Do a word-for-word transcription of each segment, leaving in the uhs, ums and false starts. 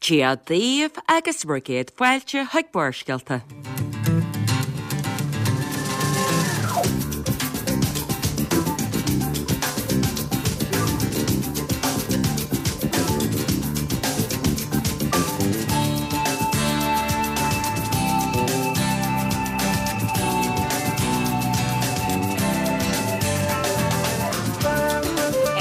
Dia daoibh agus bhur gcéad fáilte chuig Barrscéalta.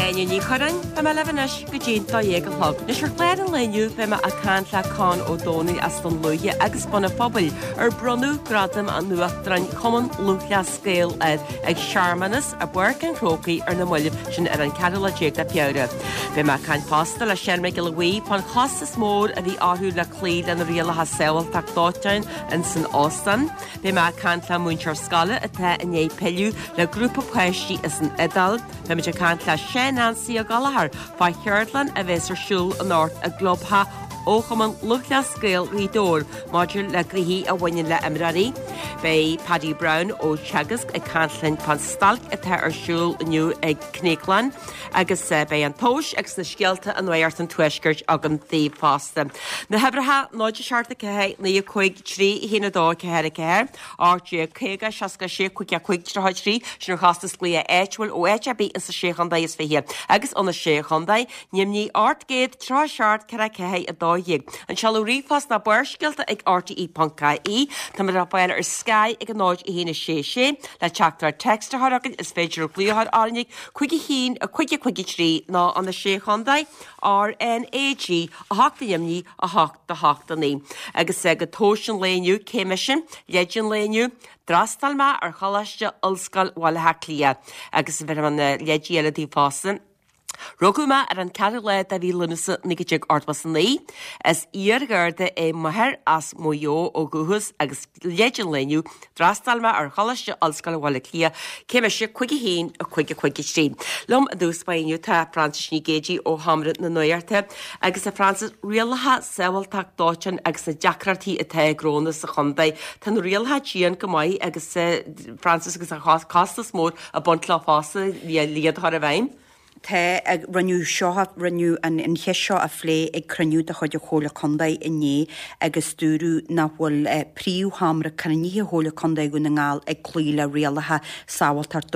Áine Ní Churráin, beidh mé libh anois go dtí an dó dhéag a chlog. Anois ar chlár an lae inniu beidh mé ag caint le Con Ó Domhnaill as Dún Lúiche agus Bun an Phobail ar bronnadh Gradam an Uachtaráin Chumann Lúthchleas Gael air ag searmanas i bPáirc an Chrócaigh ar na mallaibh, sin ar an ceathrú lá déag de Feabhra. Beidh mé ag caint fosta le Seán Mac Giolla Bhuí fán chostas mór a bhí orthu le cloí le na rialacha sábháilteacht dóiteáin ins an óstán. Beidh mé ag caint le múinteoir scoile atá i ndiaidh pilleadh le grúpa páistí as an Iodáil. Beidh muid ag caint le Sean-Neansaí Ó Gallchóir fá cheardlann a bheas ar siúl anocht i gclubtheach ó Chumann Lúthchleas Gael Ghaoth Dobhair maidir le gnoithí a bhaineann le imreoirí. Beidh Paddy Brown ó Teagasc ag caint linn fán stailc atá ar siúl inniu ag Cnéaclann agus beidh an tomhas agus na scéalta i Nuacht an Tuaiscirt agam daoibh fosta. Na huimhreacha náid a seacht a ceathair naoi a cúig trí a haon a dó ceathair a ceathair, ocht déag caoga seasca sé cúig a cúig tríocha a trí, sin ar chostas glaoch áitiúil ó áit ar bith insa sé chontae is fiche agus ó na sé chontae, Nimhní ocht gcéad tríocha seacht ceathair ceathair a dó dhéag. An seoladh ríomhphost ná barrscéalta ag rte ponc ie. Táimid le fáil ar Sky ag a náid a haon a sé sé le teachtaireacht text a chur chugainn is féidir glaoch a chur orainn ag cúig a haon a cúig a cúig a trí nó ó na sé chontae R N A G a hocht a Nimhní a hocht a hocht a naoi. Agus go tomhas an lae inniu, cé mise, leid an lae inniu, D'fhreastail mé ar Choláiste Ollscoile Bhaile Átha Cliath agus bheir mé na leidí eile daoibh fosta. Rugadh mé ar an ceathrú lá de mhí Lúnasa naoi déag ochtó is a naoi. Is iar-gharda é m'athair as Maigh Eo ó dhúchas agus leid an lae inniu, d'fhreastail mé ar Choláiste Ollscoile Bhaile Átha Cliath, cé mise, cúig a haon, a cúig a cúig a trí. Liom i dtús báire inniu tá Frances Ní Ghéidigh ó Sheomra na Nuachta agus a Frances, rialacha sábháilteacht dóiteáin agus na deacrachtaí atá ag gnónna sa chontae. Tá na rialacha dian go maith agus Frances agus an costas mór ag baint leo fosta le iad a chur i bhfeidhm. Tá, rinneadh seo, rinneadh an cheist seo a phlé ag cruinniú de chuid an Chomhairle Contae inné agus dúradh nach bhfuil príomhsheomra cruinnithe Chomhairle Contae Dhún na nGall ag cloí le rialacha sábháilteacht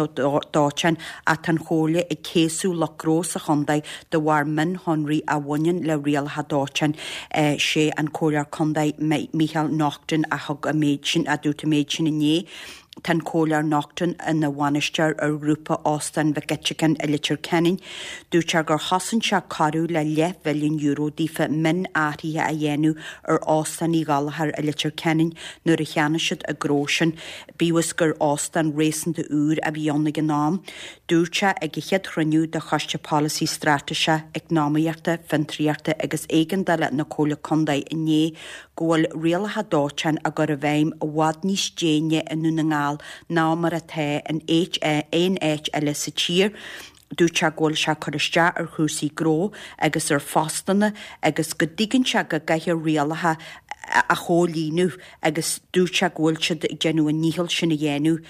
dóiteáin ach tá an Chomhairle ag céasadh lucht gnó sa chontae de bharr mionshonraí a bhaineann le rialacha dóiteáin. Sé an Comhairleoir Contae Micheál Naughton a thug an méid sin, a dúirt an méid sin inné. Tá an Comhairleoir Naughton ina bhainisteoir ar ghrúpa Óstán Mhic Eiteacáin i Leitir Ceanainn. Dúirt sé gur chosain sé corradh le leathmhilliún euro daofa mionathruithe a dhéanamh ar Óstán Uí Ghallchóir i Leitir Ceanainn nuair a cheannaigh siad an gnó sin, bíodh is gur óstán réasúnta úr a bhí ann ag an am. Dúirt sé ag a chéad chruinniú de Choiste Polasaí Straitéise, Eacnamaíochta, Fiontraíochta agus Éigeandála na Comhairle Contae inné go bhfuil rialacha dóiteáin á gcur i bhfeidhm i bhfad níos déine i nDún na nGall ná mar atá in aon áit eile sa tír. Dúirt sé go bhfuil sé ag cur isteach ar chúrsaí gnó agus ar phostanna agus go dtuigeann sé go gcaithfear rialacha a chomhlíonadh agus dúirt sé go bhfuil siad ag déanamh a ndícheall sin a dhéanamh.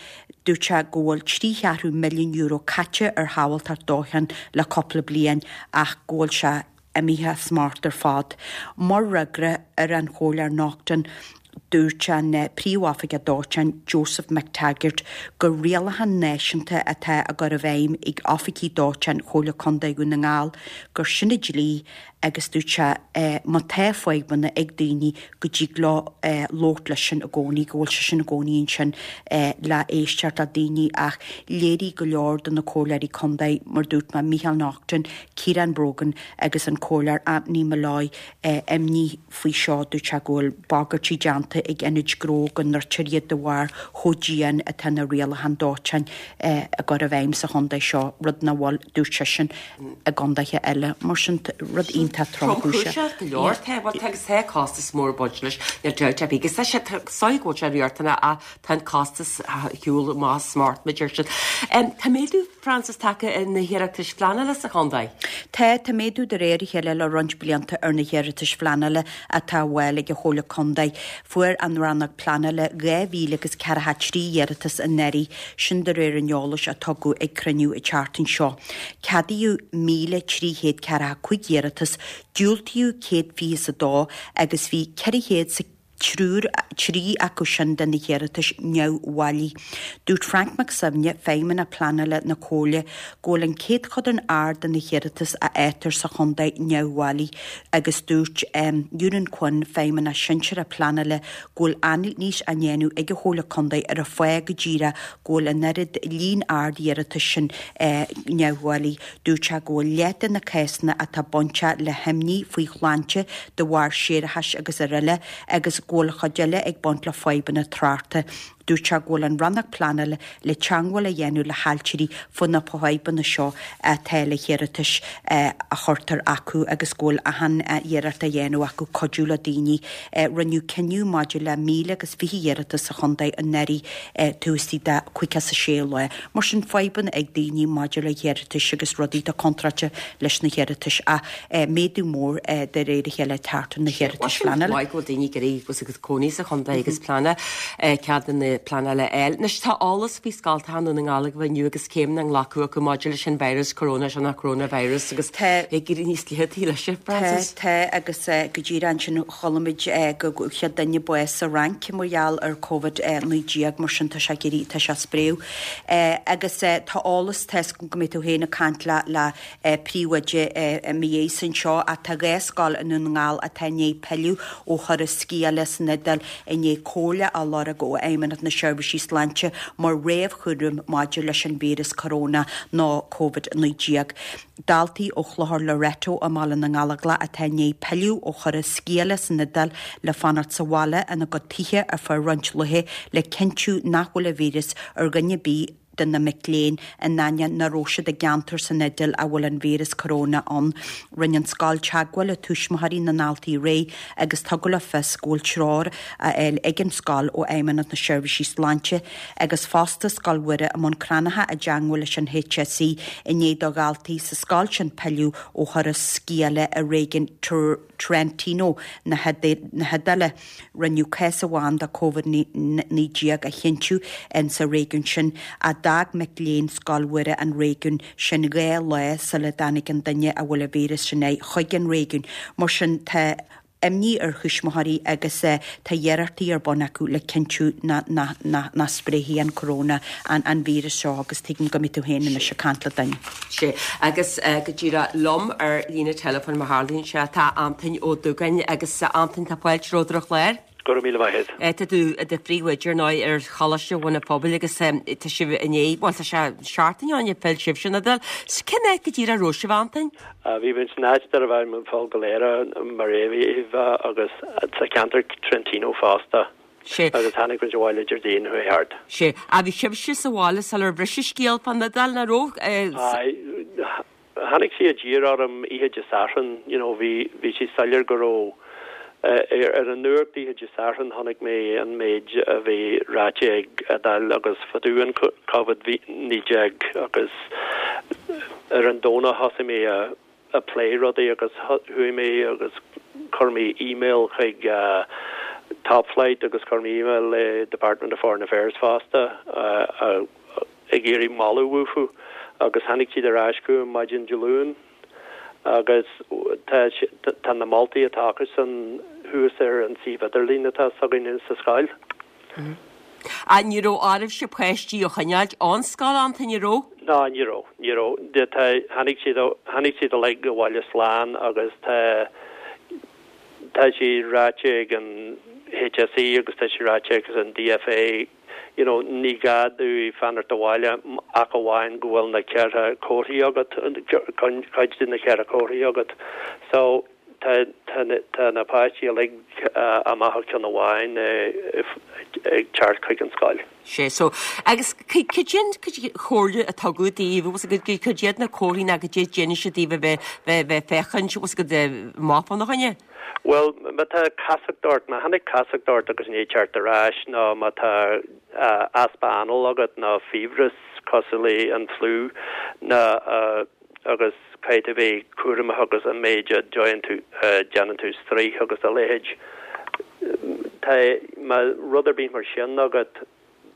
Dúirt sé go bhfuil trí cheathrú milliún euro caite ar shábháilteacht dóiteáin le cúpla bliain ach go bhfuil sé imithe as smacht ar fad. Mar fhreagra ar an Chomhairleoir Naughton, dúirt an Príomhoifigeach Dóiteáin, Joseph McTaggart, gur rialacha náisiúnta atá á gcur i bhfeidhm ag oifigigh dóiteáin Chomhairle Contae Dhún na nGall, gur sin an dlí agus dúirt sé má tá fadhbanna ag daoine go dtig leo labhairt leisean i gcónaí, go bhfuil seisean i gcónaí ansin le éisteacht le daoine ach léirigh go leor de na comhairleoirí contae, mar dúirt mé, Micheál Naughton, Ciarán Brogan agus an Comhairleoir Anthony Molloy imní faoi seo. Dúirt sé go bhfuil bagairtí déanta ag ionaid gnó go ndruidfear iad de bharr chomh dian atá na rialacháin dóiteáin á gcur i bhfeidhm sa chontae seo, rud nach bhfuil, dúirt seisean, i gcontaetha eile. Mar sin, rud iontach tromchúiseach. Tromchúiseach go leor. Tá, bhuel, tá agus tá costas mór ag baint leis, níl dabht ar bith. Agus tá sé, tá sóigh go bhfuil sé riachtanach ach tá an costas ar shiúl amach as smacht, mar a deir siad. Tá méadú, Frances, tagtha ar na hiarratais phleanála sa chontae? Tá, tá méadú de réir a chéile le roinnt blianta ar na hiarratais phleanála atá á bhfáil ag an Chomhairle Contae. Fuair an Rannóg Pleanála dhá mhíle agus ceathracha trí iarratas anuraidh, sin de réir an eolais a tugadh ag cruinniú an tseachtain seo. Ceadaíodh míle trí chéad ceathracha cúig iarratas Diúltaíodh céad fiche is a dó agus bhí ceithre chéad is a triúr, trí acu sin de na hiarratais neamhbhailí. Dúirt Frank Mac Suibhne, Feidhmeannach Pleanála na Comhairle, go bhfuil an céadchodán ard de na hiarratais a fhaightear sa chontae neamhbhailí agus dúirt Eunan Quinn, Feidhmeannach Sinsearach Pleanála, go bhfuil anailís á ndéanamh ag an Chomhairle Contae ar an fáth go díreach go bhfuil an oiread líon ard iarratais sin neamhbhailí. Dúirt sé go bhfuil leath de na cásanna atá bainteach le himní faoi shláinte de bharr séarachais agus araile agus go bhfuil chuid eile ag baint le fadhbanna tráchta. Dúirt sé go bhfuil an Rannóg Pleanála le teagmháil a dhéanamh le hailtirí faoi na fadhbanna seo atá le hiarratais a chuirtear acu agus go bhfuil achan iarracht á dhéanamh acu cuidiú le daoine. Rinneadh cinneadh maidir le míle agus fiche iarratas sa chontae anuraidh taobh istigh de caoga is a sé lá. Mar sin fadhbanna ag daoine maidir le hiarratais agus rudaí atá contráilte leis na hiarratais ach méadú mór de réir a chéile ag teacht ar na hiarratais phleanála. Maith go bhfuil daoine ag iarraidh agus cónaí sa chontae agus pleananna ceadanna pleanála a fháil. Anois tá eolas faoi scoltacha i nDún na nGall agaibh inniu agus céimeanna á nglacadh acu maidir leis an virus corona seo ná coronavirus agus ag éirí níos liathtaí leis, a Frances. Tá, tá agus go díreach ansin chuala muid go chéad duine bás sa Fhrainc mar gheall ar Covid naoi déag mar sin tá sé ag éirí, tá sé ag spréadh. Agus tá eolas, tá 'fhios agam go mbeidh tú féin ag caint le le príomhoide i mo dhiaidh anseo ach tá dhá scoil i nDún na nGall atá i ndiaidh pilleadh ó thuras sciála san Iodáil i ndiaidh comhairle a lorg ó Fheidhmeannacht na Seirbhísí Sláinte mar réamhchúram maidir leis an víreas coróna nó Covid naoi déag. Daltaí ó Chlochar Loreto i mBaile na nGallóglach atá i ndiaidh pilleadh ó thuras sciála san Iodáil le fanacht sa bhaile ina gcuid tithe ar feadh roinnt laetha le cinntiú nach bhfuil an víreas ar dhuine ar bith de na mic léinn in ainneoin nach raibh siad i gceantar san Iodáil a bhfuil an víreas coróna ann. Rinne an scoil teagmháil le tuismitheoirí na ndaltaí aréir agus tugadh le fios go bhfuil treoir á fháil ag an scoil ó Fheidhmeannacht na Seirbhísí Sláinte agus fosta Scoil Mhuire i mBun Cranncha i dteagmháil leis an HSE i ndiaidh do dhaltaí sa scoil sin pilleadh ó thuras sciála i réigiún Trentino na hIodáile. Rinneadh cás amháin de Covid naoi déag a chinntiú in sa réigiún sin ach d'fhág mic léinn Scoil Mhuire an réigiún sin dhá lá sula dtáinig an duine a bhfuil an víreas sin air chuig an réigiún. Mar sin tá imní ar thuismitheoirí agus tá iarrachtaí ar bun acu le cinntiú nach spréifidh an coróna, an víreas seo agus tuigim go mbeidh tú féin anois ag caint le duine. Sea, agus go díreach liom ar líne teileafóin mar tharlaíonn sé, tá Antoin Ó Dúgáin agus Antoin tá fáilte romhat ar an chlár. Go raibh míle maith agat. Tá tú i do phríomhoide ar ndóigh ar Choláiste Bhun an Phobail agus tá sibh i ndiaidh, bhuel tá sé seachtain ó shin a phill sibhse ón Iodáil. Cén áit go díreach a raibh sibh, Antoin? Bhí muid san áit darbh ainm Val Galera, Mareviva agus sa cheantar Trentino fosta. Sea. Agus tháinig muid abhaile Déardaoin chuaigh thart. Sea. Ach bhí sibhse sa bhaile sular bhris an scéal fán Iodáil, nach raibh? Aye. Tháinig sí i dtír orm oíche Dé Sathairn, you know, bhí, bhí sé soiléir go raibh, ar an nuacht oíche Dé Sathairn chonaic mé an méid a bhí ráite ag Iodáil agus fá dtaobh an Covid naoi déag agus ar an Domhnach thosaigh mé a, a plé rudaí agus chuaigh mé agus chuir mé email chuig Top Flight agus chuir mé email le Department of Foreign Affairs fosta ag iarraidh moladh uathu agus tháinig siad ar ais chugam maidin Dé Luain agus tá tá na moltaí atá acusan thuas ar an suíomh idirlín atá s'againn sa scoil. Ach ní raibh oraibhse páistí a choinneáilt ón scoil, Antoin, an raibh? Ná, ní raibh, ní raibh. Tá, tháinig siad, tháinig siad uilig abhaile slán agus tá, tá sé ráite ag an HSE agus tá sé ráite ag an DFA, you know, ní gá dúinn fanacht abhaile ach amháin go bhfuil na ceithre comharthaí agat, cuid de na ceithre comharthaí agat. So tá tá tá na páistí uilig amach ó cheann amháin ag teacht chuig an scoil. Sé so. Agus cad é an chomhairle a tugadh daoibh, bhfuil a fhios agat, cad iad na comharthaí ná cad é a d'inis siad daoibh a bheith bheith bheith féachaint, bhfuil a fhios agat, amach fána choinne? Bhuel, má tá casacht ort, má tháinig casacht ort agus ní teacht ar ais, nó má tá easpa anáil agat nó fiabhras cosúil le an fliú nó agus caithfidh tú bheith cúramach agus an méid a déanann tú, déanann tú straois agus a leithéid. Tá, má rud ar bith mar sin agat,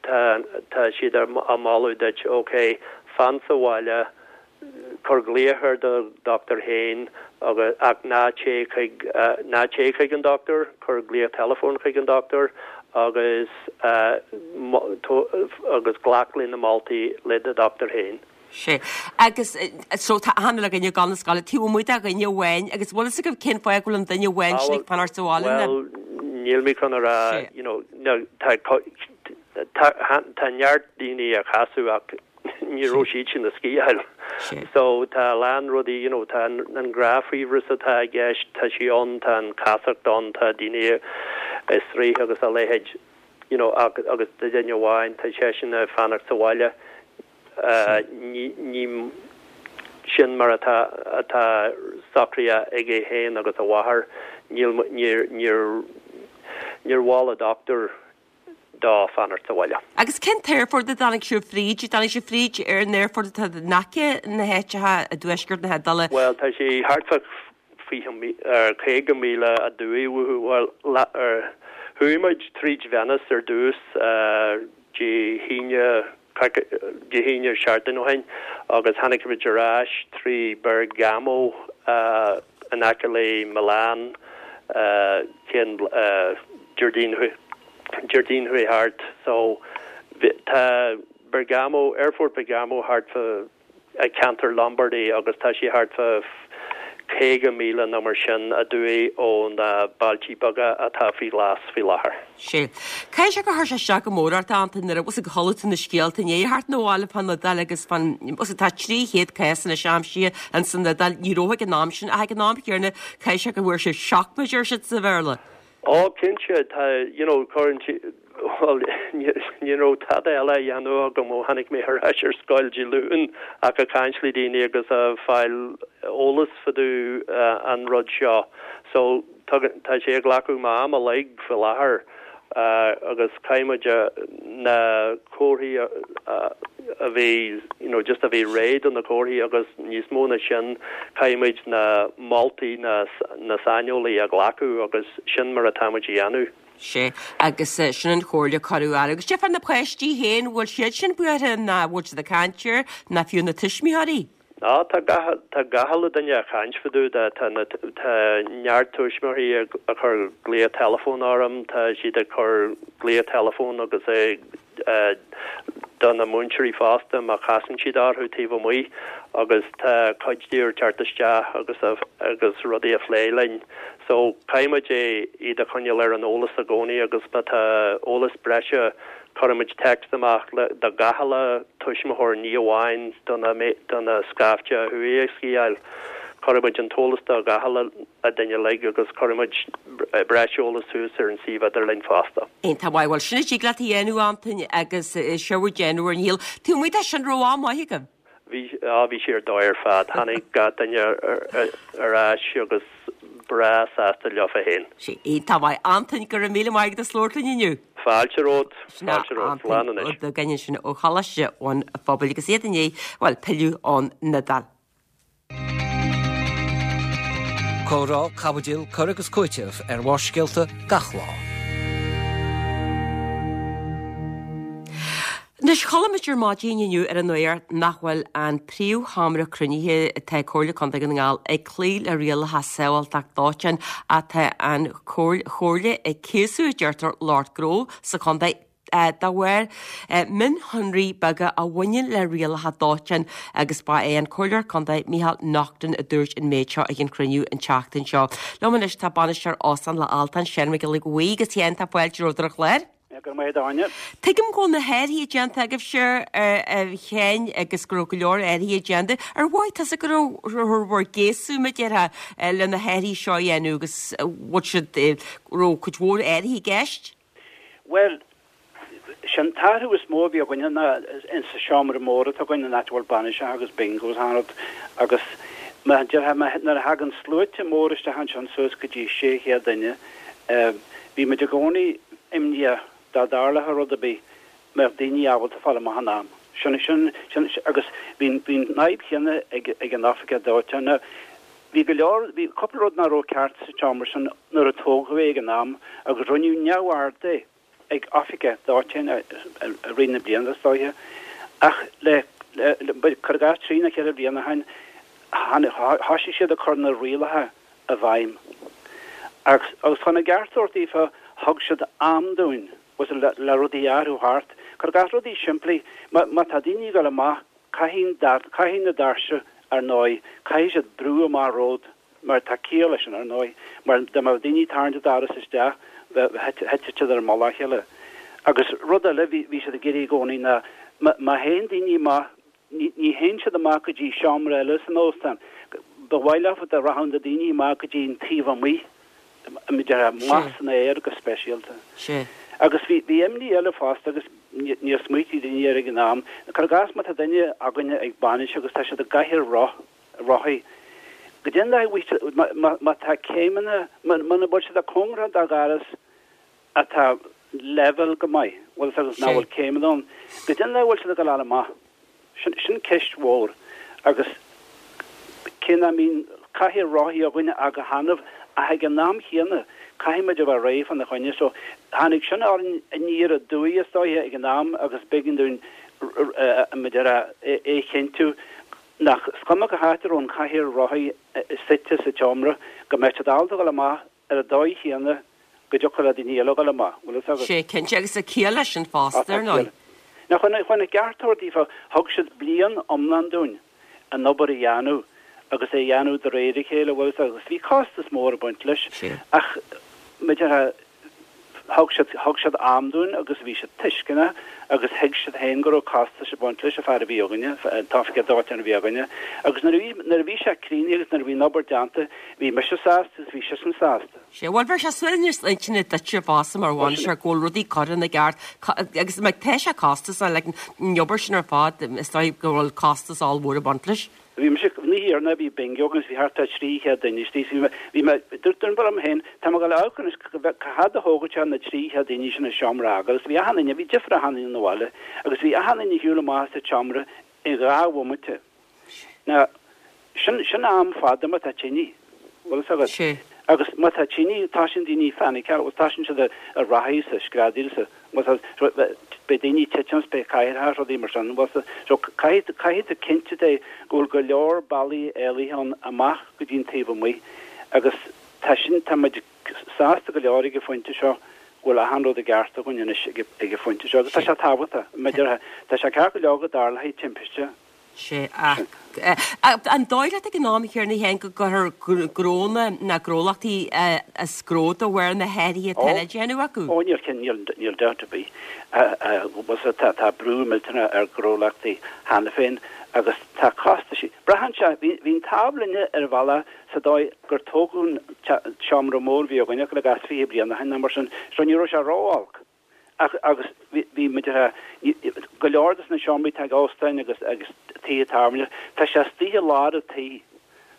tá, tá siad á moladh duit, ok, fan sa bhaile, Cuir glaoch ar do dochtúir féin agus ach ná téigh chuig ná téigh chuig an dochtúir, cuir glaoch teileafóin chuig an dochtúir agus agus glac le na moltaí le do dochtúir féin. Sé. Agus so tá achan uile dhuine ag dul na scoile taobh amuigh de dhuine amháin agus bhfuil fhios agaibh cén fáth go bhfuil an duine amháin sin ag fanacht sa bhaile? Bhuel, níl mé chun a rá, you know, tá tá tá neart daoine a casadh ach ní raibh siad sin ag sciáil. So tá a lán rudaí, you know, tá an gnáthfhiabhras atá i gceist, tá sí ann, tá an chasacht ann, tá daoine ag sraoth agus a leithéid, you know, agus agus do dhuine amháin tá seisean ag fanacht sa bhaile. Ní ní sin mar atá atá socraithe aige féin agus a mháthair, níl níor níor níor mhol a dochtúir dó fanacht sa bhaile. Agus cén t-aerfort a dtáinig sibh fríd? Dtáinig sibh fríd ar an aerfort atá in aice na háiteacha i dtuaisceart na hIodáile? Bhuel, tá sé thart fá fiche caoga míle aduaidh uathu. Bhuel, chuaigh muid tríd Venice ar dtús Dé hAoine, Dé hAoine seachtain ó shin agus tháinig muid ar ais trí Bergamo in aice le Milan cén Déardaoin Déardaoin chuaigh thart. So tá Bergamo, Aerfort Bergamo thart fá ceantar Lombardy agus tá sé thart fá caoga míle nó mar sin aduaidh ó na bailtí beaga atá faoi ghlas faoi láthair. Sé. Caithfidh sé gur chuir sé isteach go mór ort, a Antain, nuair a bhfuil ag chuala tú na scéalta inné thart na bhaile fán Iodáil agus fán tá trí chéad cás anois aimsithe ins an Iodáil. Ní raibh ag an am sin ach ag an am chéanna caithfidh sé go bhfuair sé shock mar a deir siad sa Bhéarla. Ó cinnte tá you know cuireann bhuel ní raibh tada eile a dhéanamh agam ó tháinig mé ar ais ar scoil Dé Luain ach ag caint le daoine agus a fáil eolas fá dtaobh an rud seo. So tá sé ag glacadh m'am uilig faoi láthair agus caithfidh muid na comharthaí a bhí you know just a bheith réidh do na comharthaí agus níos mó ná sin caithfidh muid na moltaí na na saineolaí a ghlacadh agus sin mar atá muid a dhéanamh. Sé agus sin an chomhairle a cuireadh air. Agus cad é fá na páistí féin, bhfuil siad sin buartha ná bhfuil siad ag caint air ná fiú na tuismitheoirí? Á tá gach tá gach uile duine ag caint fá dtaobh de tá na tá neart tuismitheoirí ag ag cur glaoch teileafóin orm, tá siad ag cur glaoch teileafóin agus ag do na múinteoirí fosta má chasann siad orthu taobh amuigh agus tá cuid díobh ag teacht isteach agus agus rudaí a phlé linn. So caithfidh muid é iad a choinneáil ar an eolas i gcónaí agus má tá eolas breise Cuirimid text amach le do gach uile tuismitheoir, ní amháin do na do na scaifte a chuaigh ag sciáil. Cuirimid an t-eolas do gach uile duine uilig agus cuirimid breis eolas suas ar an suíomh idirlín fosta. Iontach maith. Bhuel, sin a dtig leat a dhéanamh, Antain, agus sibh ag déanamh bhur ndícheall. Taobh amuigh de sin, raibh am maith agaibh? Bhí, á, bhí sé ar dóigh ar fad. Tháinig gach duine ar ais agus breá sásta leofa féin. Sé iontach maith. Antain, go raibh míle maith agat as labhairt linn inniu. Fáilte romhat. Fáilte romhat. Slán anois. Ó Dugáin ansin ó Choláiste an Phobail agus iad i ndiaidh, bhuel, pilleadh ón Iodáil. Comhrá, caibidil, cur agus cúiteamh ar Bharrscéalta gach lá. Anois, chuala muid ar maidin inniu ar an nuacht nach bhfuil an príomhsheomra cruinnithe atá ag Comhairle Contae Dhún na nGall ag cloí le rialacha sábháilteachta dóiteáin ach tá an Chomhairle ag cíosú, a deirtear, lucht gnó sa chontae de bharr mionshonraí beaga a bhaineann le rialacha dóiteáin agus ba é an Comhairleoir Contae Micheál Naughton a dúirt an méid seo ag an chruinniú an tseachtain seo. Liom anois tá bainisteoir Óstán Loch Altáin, Seán Mac Giolla Bhuí agus a Sheáin tá fáilte romhat ar an chlár. Go raibh maith agat a Áine. Tuigim go bhfuil na hathruithe déanta agaibhse a Sheáin agus go raibh go leor athruithe déanta. Ar mhothaigh tusa go raibh bhur gcéasadh mar a déarfá le na hathruithe seo a dhéanamh agus bhfuil siad raibh cuid mhór athruithe i gceist? Bhuel, sin t-athrú is mó a bhí againne ná in sa seomra mór atá againn an áit a bhfuil bainiseacha agus bingos an rud agus mar a déarfá nuair a thagann sluaite mór isteach ansin suas go dtí sé chéad duine bhí muid i gcónaí imníoch dá dtarlódh rud ar bith, mbeadh daoine ábalta fáil amach in am. Sin, sin, sin, agus bhí, bhí an fhadhb chéanna ag, ag an oifigeach dóiteáin. Now, bhí go leor, bhí cúpla rud nach raibh ceart sa tseomra sin nuair a tógadh é ag an am agus rinneadh neamhaird de ag oifigeach dóiteáin i, i rith na bliana is dóiche. Ach le, le, le, cuir i gcás trí nó ceithre bliana ó shin, Thoisigh siad ag cur na rialacha i bhfeidhm. Agus agus chun an gceart a thabhairt daofa, thug siad am dúinn le le rudaí a athrú thart. Cuir i gcás rudaí simplí, má má tá daoine ag dul amach, caithfidh caithfidh na doirse, ar ndóigh, caithfidh siad brú amach romhat, mar tá ciall leis sin, ar ndóigh, mar dá mbeadh daoine ag tarraingt an doras isteach, bheadh thitfeadh siad ar mullach a chéile. Agus rud eile bhí bhí siad ag iarraidh i gcónaí ná má má théann daoine amach, ní ní théann siad amach go dtí seomra eile san óstán, ba mhaith leofa dá rachadh na daoine amach go dtí an taobh amuigh, amach san aer go speisialta. Sea. Agus bhí bhí imní eile fosta agus níor smaoitigh daoine air ag an am, cuir i gcás má tá duine againne ag bainis agus tá siad i gcathaoir roth, rothaí, goidé an dóigh má má má tá céimeanna, muna bhfuil siad cóngarach do dhoras atá level go maith, bhfuil agus nach bhfuil céimeanna ann, goidé an dóigh a bhfuil siad ag gabháil amach. Sin sin ceist mhór agus cé nach mbíonn cathaoir rothaí againne ach go hannamh ach ag an am chéanna caithfidh muid a bheith réidh fána choinne so tháinig sin orainn aniar aduaidh is dóiche ag an am agus b'éigean dúinn muid ar é a chinntiú nach is cuma cá háit a raibh an chathaoir rothaí suite sa tseomra go mbeadh siad ábalta dul amach ar an dóigh chéanna go dtiocfadh le daoine eile dul amach. Bhfuil fhios agat? Sé cinnte agus tá ciall leis sin Á fosta tá ar ndóigh. ciall. Now chun chun an ceart a thabhairt daofa thug siad bliain iomlán dúinn an obair a dhéanamh agus é a dhéanamh de réir a chéile, bhfuil fhios agat, agus bhí costas mór ag baint leis Sé. ach maidir thug siad thug siad am dúinn agus bhí siad tuisceanach agus thuig siad féin go raibh costas ag baint leis an fear a bhí againne, an t-oifigeach dóiteáin a bhí againne agus nuair a bhí nuair a bhí sé críochnaithe agus nuair a bhí an obair déanta bhí mise sásta agus bhí seisean sásta. Sé bhuel bheir sé suaimhneas intinne duitse fosta mar Bhuel sin bhainisteoir go bhfuil rudaí curtha ina gceart agus mar tá sé costasach like an obair sin ar fad is dóigh go bhfuil costas ollmhór ag baint leis. Bhí mise ní hiarna bhí bingo agus bhí thart ar trí chéad duine istigh bhí mé bhí mé dúirt dúirt liom féin tá mé ag dul amharc anois cá fhad a thógfaidh sé na trí chéad daoine sin an seomra a fhágáil agus bhí achan duine bhí difear achan duine ina bhaile agus bhí achan duine ag siúl amach as an tseomra i dhá bhomaite. Now sin sin am fada má tá tine bhfuil fhios agat. Sé. Agus má tá tine tosaíonn daoine ag fainiceáil agus tosaíonn siad ag rachaidh sa screadaíl sa beidh daoine ag titim is beidh cathaoireacha is rudaí mar sin bhfuil fhios so caithfidh caithfidh tú cinntiú de go bhfuil go leor bealaí éalaithe ann amach go dtí an taobh amuigh agus tá sin tá muid sásta go leor ag an phointe seo go bhfuil achan rud i gceart againn anois ag ag an phointe seo agus tá sé tábhachtach maidir tá sé ceart go leor go dtarlóidh timpiste. Sé ach an dóigh leat ag an am chéanna féin go gcuirfear gnónna na gnólachtaí as gnó de bharr na hathruithe atá le déanamh acu? Ó níl níl níl dabht ar bith bhfuil tá tá brú millteanach ar ghnólachtaí cheana féin agus tá costais Braitheann sé bhí bhí an t-ádh linne ar bhealach sa dóigh gur tógadh an seomra mór bhí againne le gas fiche bliain ó shin nó mar sin so ní raibh sé ró-olc. Ach agus bhí muid go leor de na seomraí atá ag óstáin agus agus tithe tábhairne, tá sé istigh i lár an tí.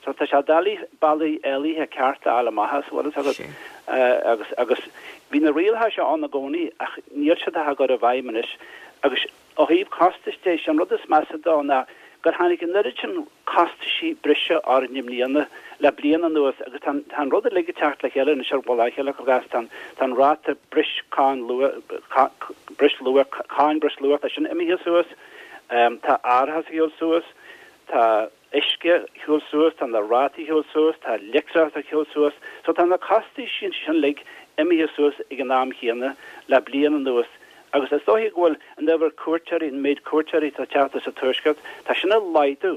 So tá sé doiligh bealaí éalaithe ceart a fháil amach as, bhfuil fhios agat. Agus agus bhí na rialacha seo ann i gcónaí ach níl siad á gcur i bhfeidhm anois. Agus ó thaobh costais de, sé an rud is measa dó ná gur tháinig an oiread sin costaisí breise orainn i mbliana le bliain anuas agus tá tá an rud uilig ag teacht le chéile anois ar mhullach a chéile agus tá tá an ráta breis cáin luath breisluach cáin breisluach tá sin imithe suas tá árachas ag siúl suas tá uisce ag siúl suas tá na rátaí ag siúl suas tá leictreachas ag siúl suas so tá na costaisí sin uilig imithe suas ag an am chéanna le bliain anuas agus is dóiche go bhfuil an uimhir cuairteoirí an méid cuairteoirí atá ag teacht as an tuaisceart tá sin ag laghdú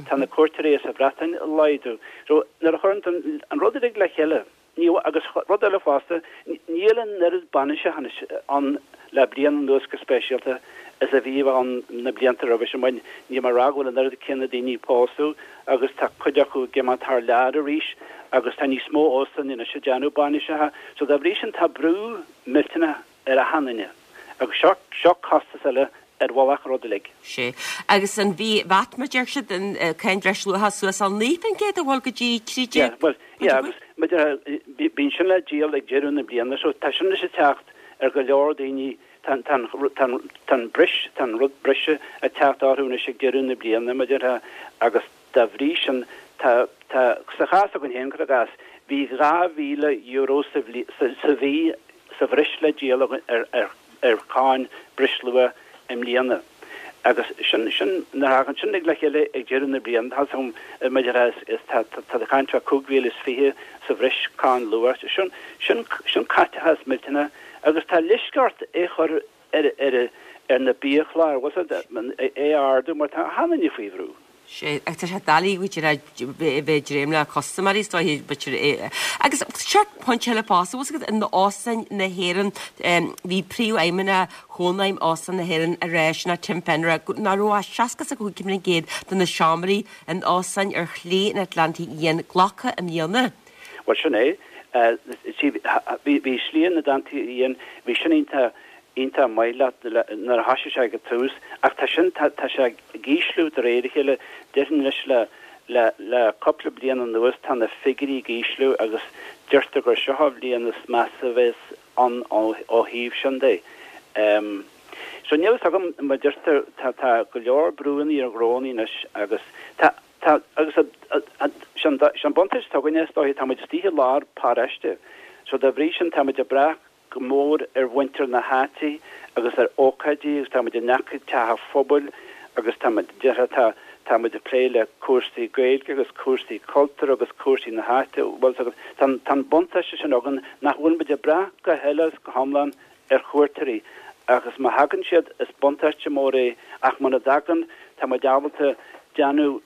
tá na cuairteoirí as an Bhreatain ag laghdú so nuair a chuireann an rud uilig le chéile ní agus rud eile fosta níl an oiread bainiseacha anois ann le bliain anuas go speisialta is a bhí ann na blianta roimhe sin mar níl mé ag rá go bhfuil an oiread céanna daoine ag pósadh agus tá cuid acu ag imeacht thar lear arís agus tá níos mó óstáin anois ag déanamh bainiseacha so dá bhrí sin tá brú millteanach ar achan duine agus seo seo costas eile ar mhullach an rud uilig. Sé. Agus an bhí VAT mar deir siad an cáin bhreisluacha suas al naoi faoin gcéad a bhfuil go dtí trí déag? Bhuel, yeah, agus bíonn sin le díol ag deireadh na bliana so tá sin anois ag teacht ar go leor daoine tá tá tá tá an bris tá an rud breise ag teacht orthu anois ag deireadh na bliana mar déarfá agus dá bhrí sin tá tá sa chás againn féin cuir i gcás bhí dhá mhíle euro sa sa sa mhí sa bhreis le díol ar ar ar cháin breisluacha i mbliana. Agus sin sin nuair a thagann sin ag le chéile ag deireadh na bliana, tá a fhios agam maidir le is tá tá tá caint fá cúig mhíle is fiche sa bhreis cáin luath. Sin sin sin caiteachas millteanach agus tá leisce ort é chur ar ar ar na biachláir, bhfuil a fhios agat, é a ardú mar tá achan duine faoi bhrú. Sea, ach tá sé doiligh b'fhéidir a bheith ag dréim le custaiméirí is dóiche, b'fhéidir. Agus seo pointe eile fosta, bhfuil a fhios agat, in Óstáin na hÉireann, bhí príomhfheidhmeannach Chónaidhm Óstáin na hÉireann ag rá, sin é Tim Fenner, nach raibh ach seasca is a cúig faoin gcéad de na seomraí in óstáin ar Shlí an Atlantaigh Fhiáin glactha i mbliana. Bhuel, sin é. Bhí Slí an Atlantaigh Fhiáin, bhí sin iontach iontach maith leat nuair a thoisigh sé ag an tús ach tá sin, tá sé ag ísliú de réir a chéile. Déarfainn anois le, le, le cúpla bliain anuas tá na figiúirí ag ísliú agus deirtear gur seo an bhliain is measa a bheas ann ó, ó thaobh sin de. So níl a fhios agam, mar deirtear, tá, tá go leor brúanna ar ghnónnaí anois agus tá, tá, agus sé an, sé an buntáiste atá againne is dóiche, tá muid istigh i lár paráiste so dá bhrí sin tá muid ag brath go mór ar mhuintir na háite agus ar ócáidí agus tá muid in aice teach an phobail agus tá muid, déarfá, tá, tá muid ag plé le cúrsaí Gaeilge agus cúrsaí cultúir agus cúrsaí na háite, bhfuil 's agat, tá an, tá an buntáiste sin againn nach bhfuil muid ag brath go huile is go hiomlán ar chuairteoirí agus má thagann siad is buntáiste mór é ach muna dtagann tá muid ábalta déanamh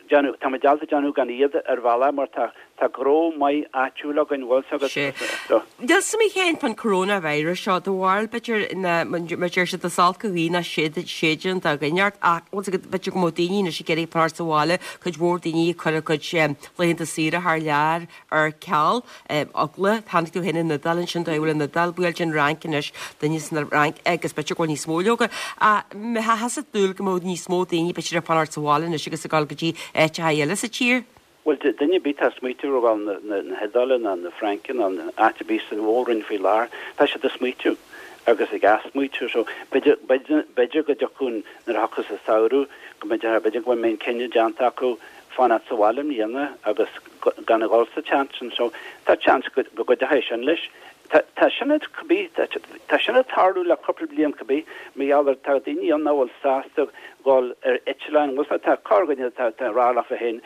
déanamh, tá muid ábalta déanamh gan iad ar bhealach mar tá, tá gnó maith áitiúil againn, bhfuil 's agat. Sea. Níl 's agam a Sheáin fán coronavirus seo, do bharúil b'fhéidir ná, mar deir siad is olc an ghaoth ná séideann do dhuine ort ach bhfuil 's agat b'fhéidir go mbeadh daoine anois ag iarraidh fanacht sa bhaile, cuid mhór daoine ag cur a gcuid laethanta saoire thar lear ar ceal, eagla, tháinig tú féin ón Iodáil ansin, dóigh a bhfuil an Iodáil, buailte an Fhrainc anois, duine san Fhrainc agus b'fhéidir go bhfuil níos mó leoga. Ach mbeifeása ag dúil go mbeadh níos mó daoine b'fhéidir ag fanacht sa bhaile anois agus ag dul go dtí áiteacha eile sa tír? Bhuel, duine ar bith atá ag smaoitiú ar dhul na na hIodáile ná na Fraince ná áit ar bith sa mhór-roinn faoi láthair, tá siad ag smaoitiú agus ag athsmaoitiú. So, b'fhéidir, b'fhéidir go dtiocfadh nuair a thiocfas an samhradh, go mb'fhéidir, b'fhéidir go mbeidh an cinneadh déanta acu fanacht sa bhaile i mbliana agus gan a dhul sa tseans sin. So, tá seans go gcuideoidh sin leis. Tá, tá sin ag, cibé, tá sin ag tarlú le cúpla bliain cibé, mar gheall ar, tá daoine ann nach bhfuil sásta dhul ar eitleáin, bhfuil 's agat, tá corrdhuine atá, atá ag rá leofa féin,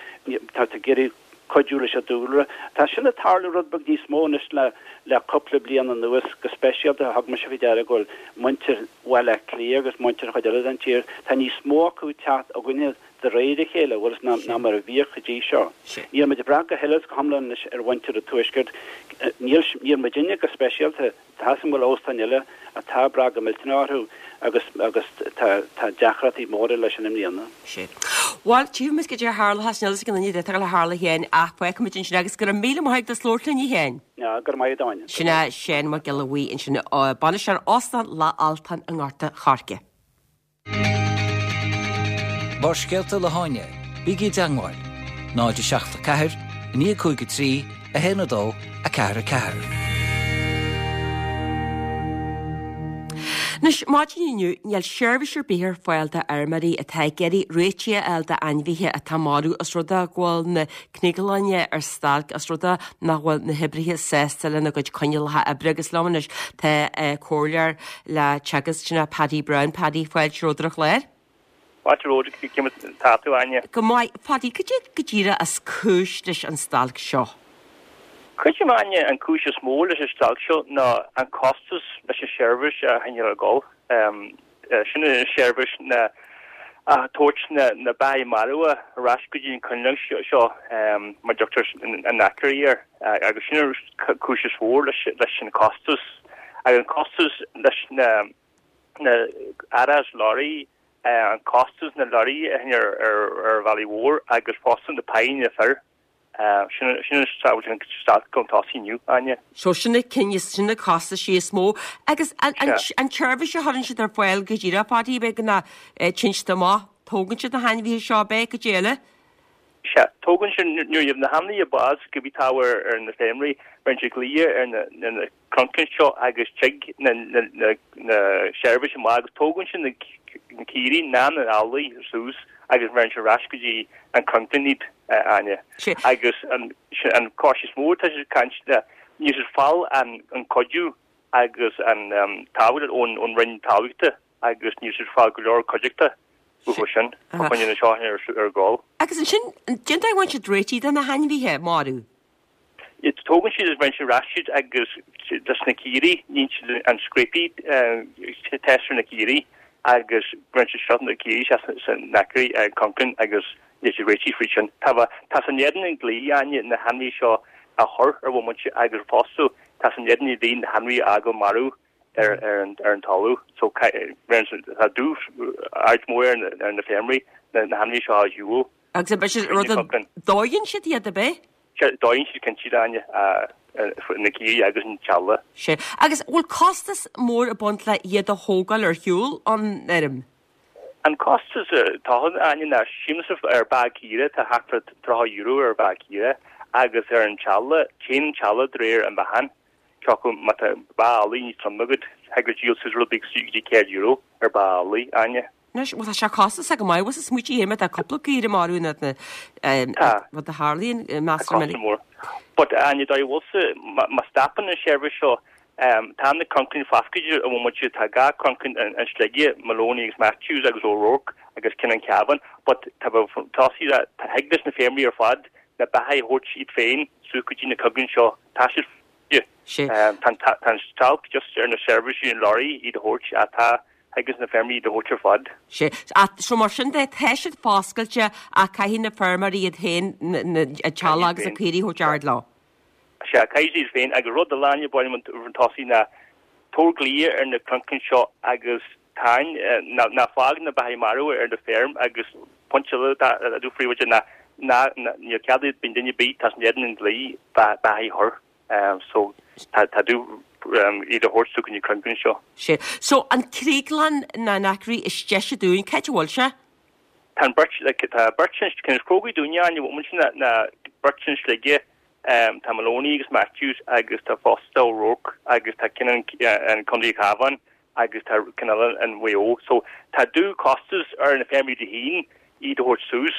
tá ag iarraidh cuidiú leis an dúlra. Tá sin ag tarlú rud beag níos mó anois le, le cúpla bliain anuas, go speisialta thug mise faoi deara go bhfuil muintir Bhaile Átha Cliath agus muintir chuid eile den tír, tá níos mó acu ag teacht chugainne de réir a chéile, bhfuil 's ná mar a bhíodh go dtí seo. Níl muid ag brath go huile is go hiomlán anois ar mhuintir an Tuaiscirt. Níl, níl muidinne go speisialta, tá 's agam go bhfuil óstáin eile atá ag brath go millteanach orthu agus, agus tá, tá deacrachtaí móra leis sin i mbliana. Sea. Bhuel, tchífidh muid goidé a tharlóchas, níl 'fhios ag aon duine goidé atá le tarlú a Sheáin ach fágfaidh muid ansin agus go raibh míle maith agat as labhairt linn a Sheáin. Go raibh maith agat Áine. Sin é Seán Mac Giolla Bhuí ansin, bainisteoir Óstán Loch Altan i nGort a' Choirce. Barrscéalta le hÁine, bígí i dteangmháil, náid a seacht a ceathair, a naoi cúig a trí, a haon a dó, a ceathair a ceathair. Anois, maidin inniu, níl seirbhís ar bith ar fáil d'fheirmeoirí atá ag iarraidh réitigh a fháil d'ainmhithe atá marbh os rud é go bhfuil na cnioglainnea ar stailc os rud é nach bhfuil na hoibrithe sásta lena gcuid coinníollacha oibre agus liom anois tá comhairleoir le Teagasc, sin é Paddy Browne. Paddy, fáilte romhat ar an chlár. Fáilte romhat, cén chaoi atá tú, Áine? Go maith. Paddy, cad é go díreach is cúis leis an stailc seo? Creidim, Áine, an cúis is mó leis an stailc seo ná an costas leis an seirbhís a choinneáil ag dul. Sin an seirbhís na a tabhairt na na beathaí marbha ar ais go dtí an coinleach seo mar dtugtar an knackery air agus sin an cúis is mhór leis leis an costas. Agus an costas leis na na árachas lorraí, an costas na lorraí a choinneáil ar ar bhealaí mhór agus fosta na páí na fir. Sin an stailc chun tosaigh inniu, Áine. So sin na cinn, sin na costaisí is mó. Agus an tseirbhís a chuireann siad ar fáil go díreach, Paddy, b'fhéidir go dtéann siad amach, tógann siad na hainmhithe seo, ab ea, goidé eile? Sea, tógann siad, nuair a bhíonn na hainmhithe bás, cibé atá ar na feirmeoirí, beireann siad glaoch ar na crannchain seo agus tig na seirbhís amach agus tógann siad na caoirigh ná na eallaigh suas agus bheireann siad ar ais go dtí an crannchlann iad, Áine. Agus an an cás is mó atá siad ag caint ná níl siad ag fáil an an cuidiú agus an tábhacht ón ón Roinn Talmhaíochta agus níl siad ag fáil go leor cuideachta Uathu sin, fá choinne na seo ar ar gcul. Agus ansin, cén dóigh a bhfaigheann siad réitithe de na hainmhithe marbh? Tógann siad is baineann siad ar ais iad agus leis na caoirigh, níonn siad an scrapie test ar na caoirigh agus baineann siad seo na caoirigh isteach san knackery crannchán agus níl siad réitithe fríd sin. Tá tá sé in éadan an dlí, Áine, na hainmhithe seo a chur ar bhomaite agus fosta tá sé in éadan an dlí na hainmhithe a fhágáil marbh ar ar an ar an talamh. So tá dúch aird mór ar na feirmeoirí na hainmhithe seo a shiúl. Agus ab é sin rud a dóigheann siad iad, ab é? Sea, dóigheann siad cinnte, Áine, na caoirigh agus an t-eallach. Sea. Agus bhfuil costas mór ag baint le iad a thógáil ar shiúl ón fheirm? An costas atá ann, Áine, ná sílimse ar bheathach caoire, tá thart fá tríocha euro ar bheathach caoire agus ar an t-eallach, téann an t-eallach de réir an mheáchain. Cé acu má tá beathach eallaigh níos troime agat, thig leat díol suas rud beag go dtí céad euro ar bheathach eallaigh, Áine. Anois, bhuel, tá sé costasach go maith, bhfuil 's smaoitigh má tá cúpla caoire marbh in áit na, Tá. rud a tharlaíonn, meastar Tá minic. costas mór. But, Áine, dóigh bhfuil 's má stopann an seirbhís seo, tá na crannchain foscailte ar an bhomaite, tá dhá chrannchán in Sligeach, Maloney agus Matthews agus O'Rourke agus ceann an Cabhán, but tá tosaí, tá thig leis na feirmeoirí ar fad na beathaigh a thabhairt iad féin suas go dtí na crannchain seo, tá siad Sé. Tá an stailc just ar na seirbhísí an lorry iad a thabhairt ach tá thig leis na feirmeoirí iad a thabhairt ar fad. Sé. Ach so mar sin de tá siad foscailte ach caithfidh na feirmeoirí iad féin an t-eallach agus na caoirigh a thabhairt ard leo. Sea, caithfidh siad iad féin agus rud eile Áine ba mhaith liom chun tosaigh ná tabhair glao ar na crannchain seo agus tarraing, ná fág na beathaigh marbh ar do feirm agus pointe eile a dúirt phríomhoide ná ná níl cead ag duine ar bith tá sé in éadan an dlí beathaigh a chur. So tá tá tú iad a thabhairt go dtí na crannchain seo. Sea. So an chrioglann nó an knackery is deise dúinn, cá háit a bhfuil sé? Tá an beirt, like, tá beirt sin, ceann is cóngaraí dúinne an bhfuil sin ná beirt in Sligeach, tá Maloney agus Matthews agus tá fosta O'Rourke agus tá ceann an an Contae Cabhán agus tá ceann eile in Mhaigh Eo. So tá dú costas ar na feirmeoirí féin iad a thabhairt suas.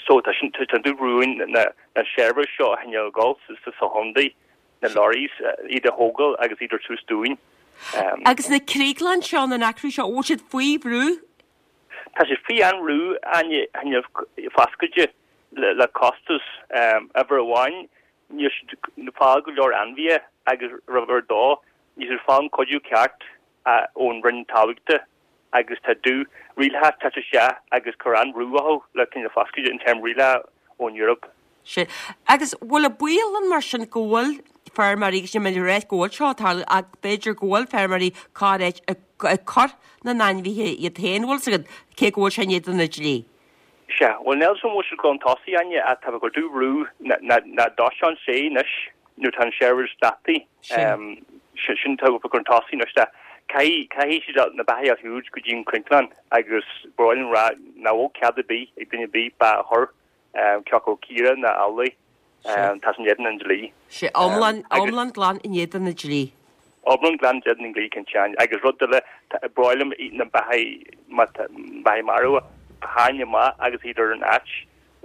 So tá sin tá dú ruin na na seirbhís seo a choinneáil ag dul sa sa chontae, na lorries iad a thógáil agus iad a thabhairt suas dúinn. Agus na crioglann seo na knackery seo, bhfuil siad faoi bhrú? Tá siad faoi an-bhrú Áine choinneáil foscailte le le costas uimhir amháin níl siad ag fáil go leor ainmhithe agus uimhir a dó níl siad ag fáil an cuidiú ceart ón Roinn Talmhaíochta agus tá dú rialacha ag teacht isteach agus cur an-bhrú orthu le coinneáil foscailte in term rialacha ón Eoraip. Sea. Agus bhfuil an baol ann mar sin go bhfuil feirmeoirí, agus níl mé ag rá go bhfuil seo ag tarlú ach b'fhéidir go bhfuil feirmeoirí corr-áit ag cur na n-ainmhithe iad féin, bhfuil 's agat, cé go bhfuil sé in éadan an dlí? Sea, bhuel níl 's agam an bhfuil siad ag dul chun tosaigh, Áine, ach tá ag cur dú bhrú na dóiteán sé anois nuair tá an seirbhís stoptha. Sin tá ag cur chun tosaigh anois tá caithfidh caithfidh siad na beathaigh a shiúd go dtí an crannchlann agus ba mhaith liom rá nach bhfuil cead ar bith ag duine ar bith beathach a chur cé acu caoire ná eallaigh. Tá sé in éadan an dlí. Sea, iomlán iomlán glan in éadan an dlí. Iomlán glan in éadan an dlí, cinnte. Agus rud eile, ba mhaith liom na beathaigh, má tá beathaigh marbh, a tharraingt amach agus iad ar an áit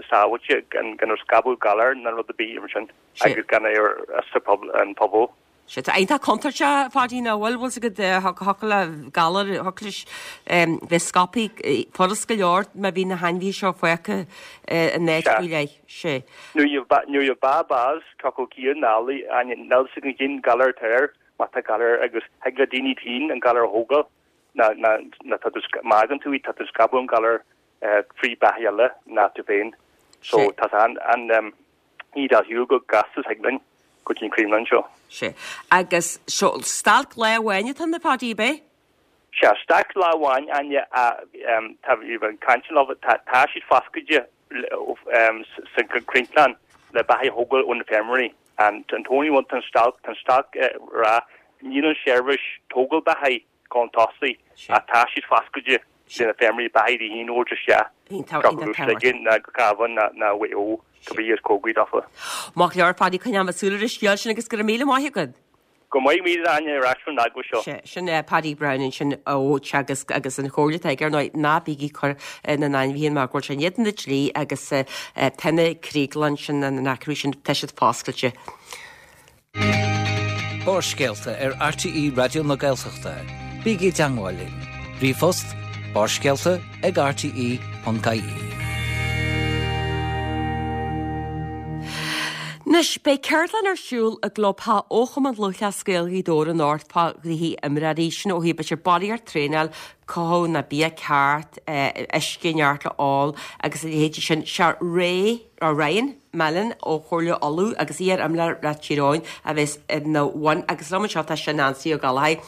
sábháilte gan gan ar scaipeadh galar ná rud ar bith mar sin agus gan é ar an pobal. Sea, tá iontach contúirteach, a Pháidí, nach bhfuil, bhfuil 's agat, thiocfadh le galar, thiocfadh leis bheith scaipthe furast go leor má bhí na hainmhithe seo fágtha in áit faoi leith. Sea. Nuair a bheadh bás, cé acu caoire ná eallaigh, Áine, níl 's agat cén galar atá air, má tá galar agus thig le daoine féin an galar a thógáil, ná, ná, ná tá tú, má fhágann tú iad, tá tú ag scaipeadh an galar trí beathaigh eile ná tú féin. So tá an, an, iad a shiúl go gasta thig linn go dtí an Creamline seo. Sea. Agus seo stailc lá amháin atá ann a Pháidí, ab é? Sea, stailc lá amháin, Áine, tá bhí caint leo, tá tá siad foscailte sa Chrannchlann le beathaigh a thógáil ó na feirmeoirí. An an t-only one tá an stailc, tá an stailc rá, níl an seirbhís tógáil beathaigh chun tosaigh ach tá siad foscailte le na feirmeoirí beathaigh a thabhairt isteach. Iontach Sligeach ná Cabhán ná Mhaigh Eo cibé is cóngaraí daofa. Maith go leor, a Pháidí, coinneoidh mé súil ar an scéal sin agus go raibh míle maith agat. Go maith míle Áine ar ais ón eaglais seo. Sea, sin Paddy Browne ansin ó Teagasc agus an chomhairle atá aige ar ndóigh, ná bígí ag cur na n-ainmhithe mar go bhfuil sé in éadan an dlí agus tá na crioglann sin, na knackery sin, tá siad foscailte. Barrscéalta ar RTÉ Raidió na Gaeltachta. Bígí i dteagmháil linn. Ríomhphost Barrscéalta ag R T E ponc I E. Anois, beidh ceardlann ar siúl i gclubtheach ó Chumann Lúthchleas Gael Ghaoth Dobhair anocht fá ghnoithí imreoirí, sin ó thaobh b'fhéidir barraíocht traenáil, cothú na bia ceart, uisce neart le ól agus a leithéidí sin. Sé Ray, or Ryan Mallon ó Chomhairle Uladh agus iar-imreoir le Tír Eoghain a bheas ina bhun agus liom anseo tá sé Nancy Ó Gallchóir,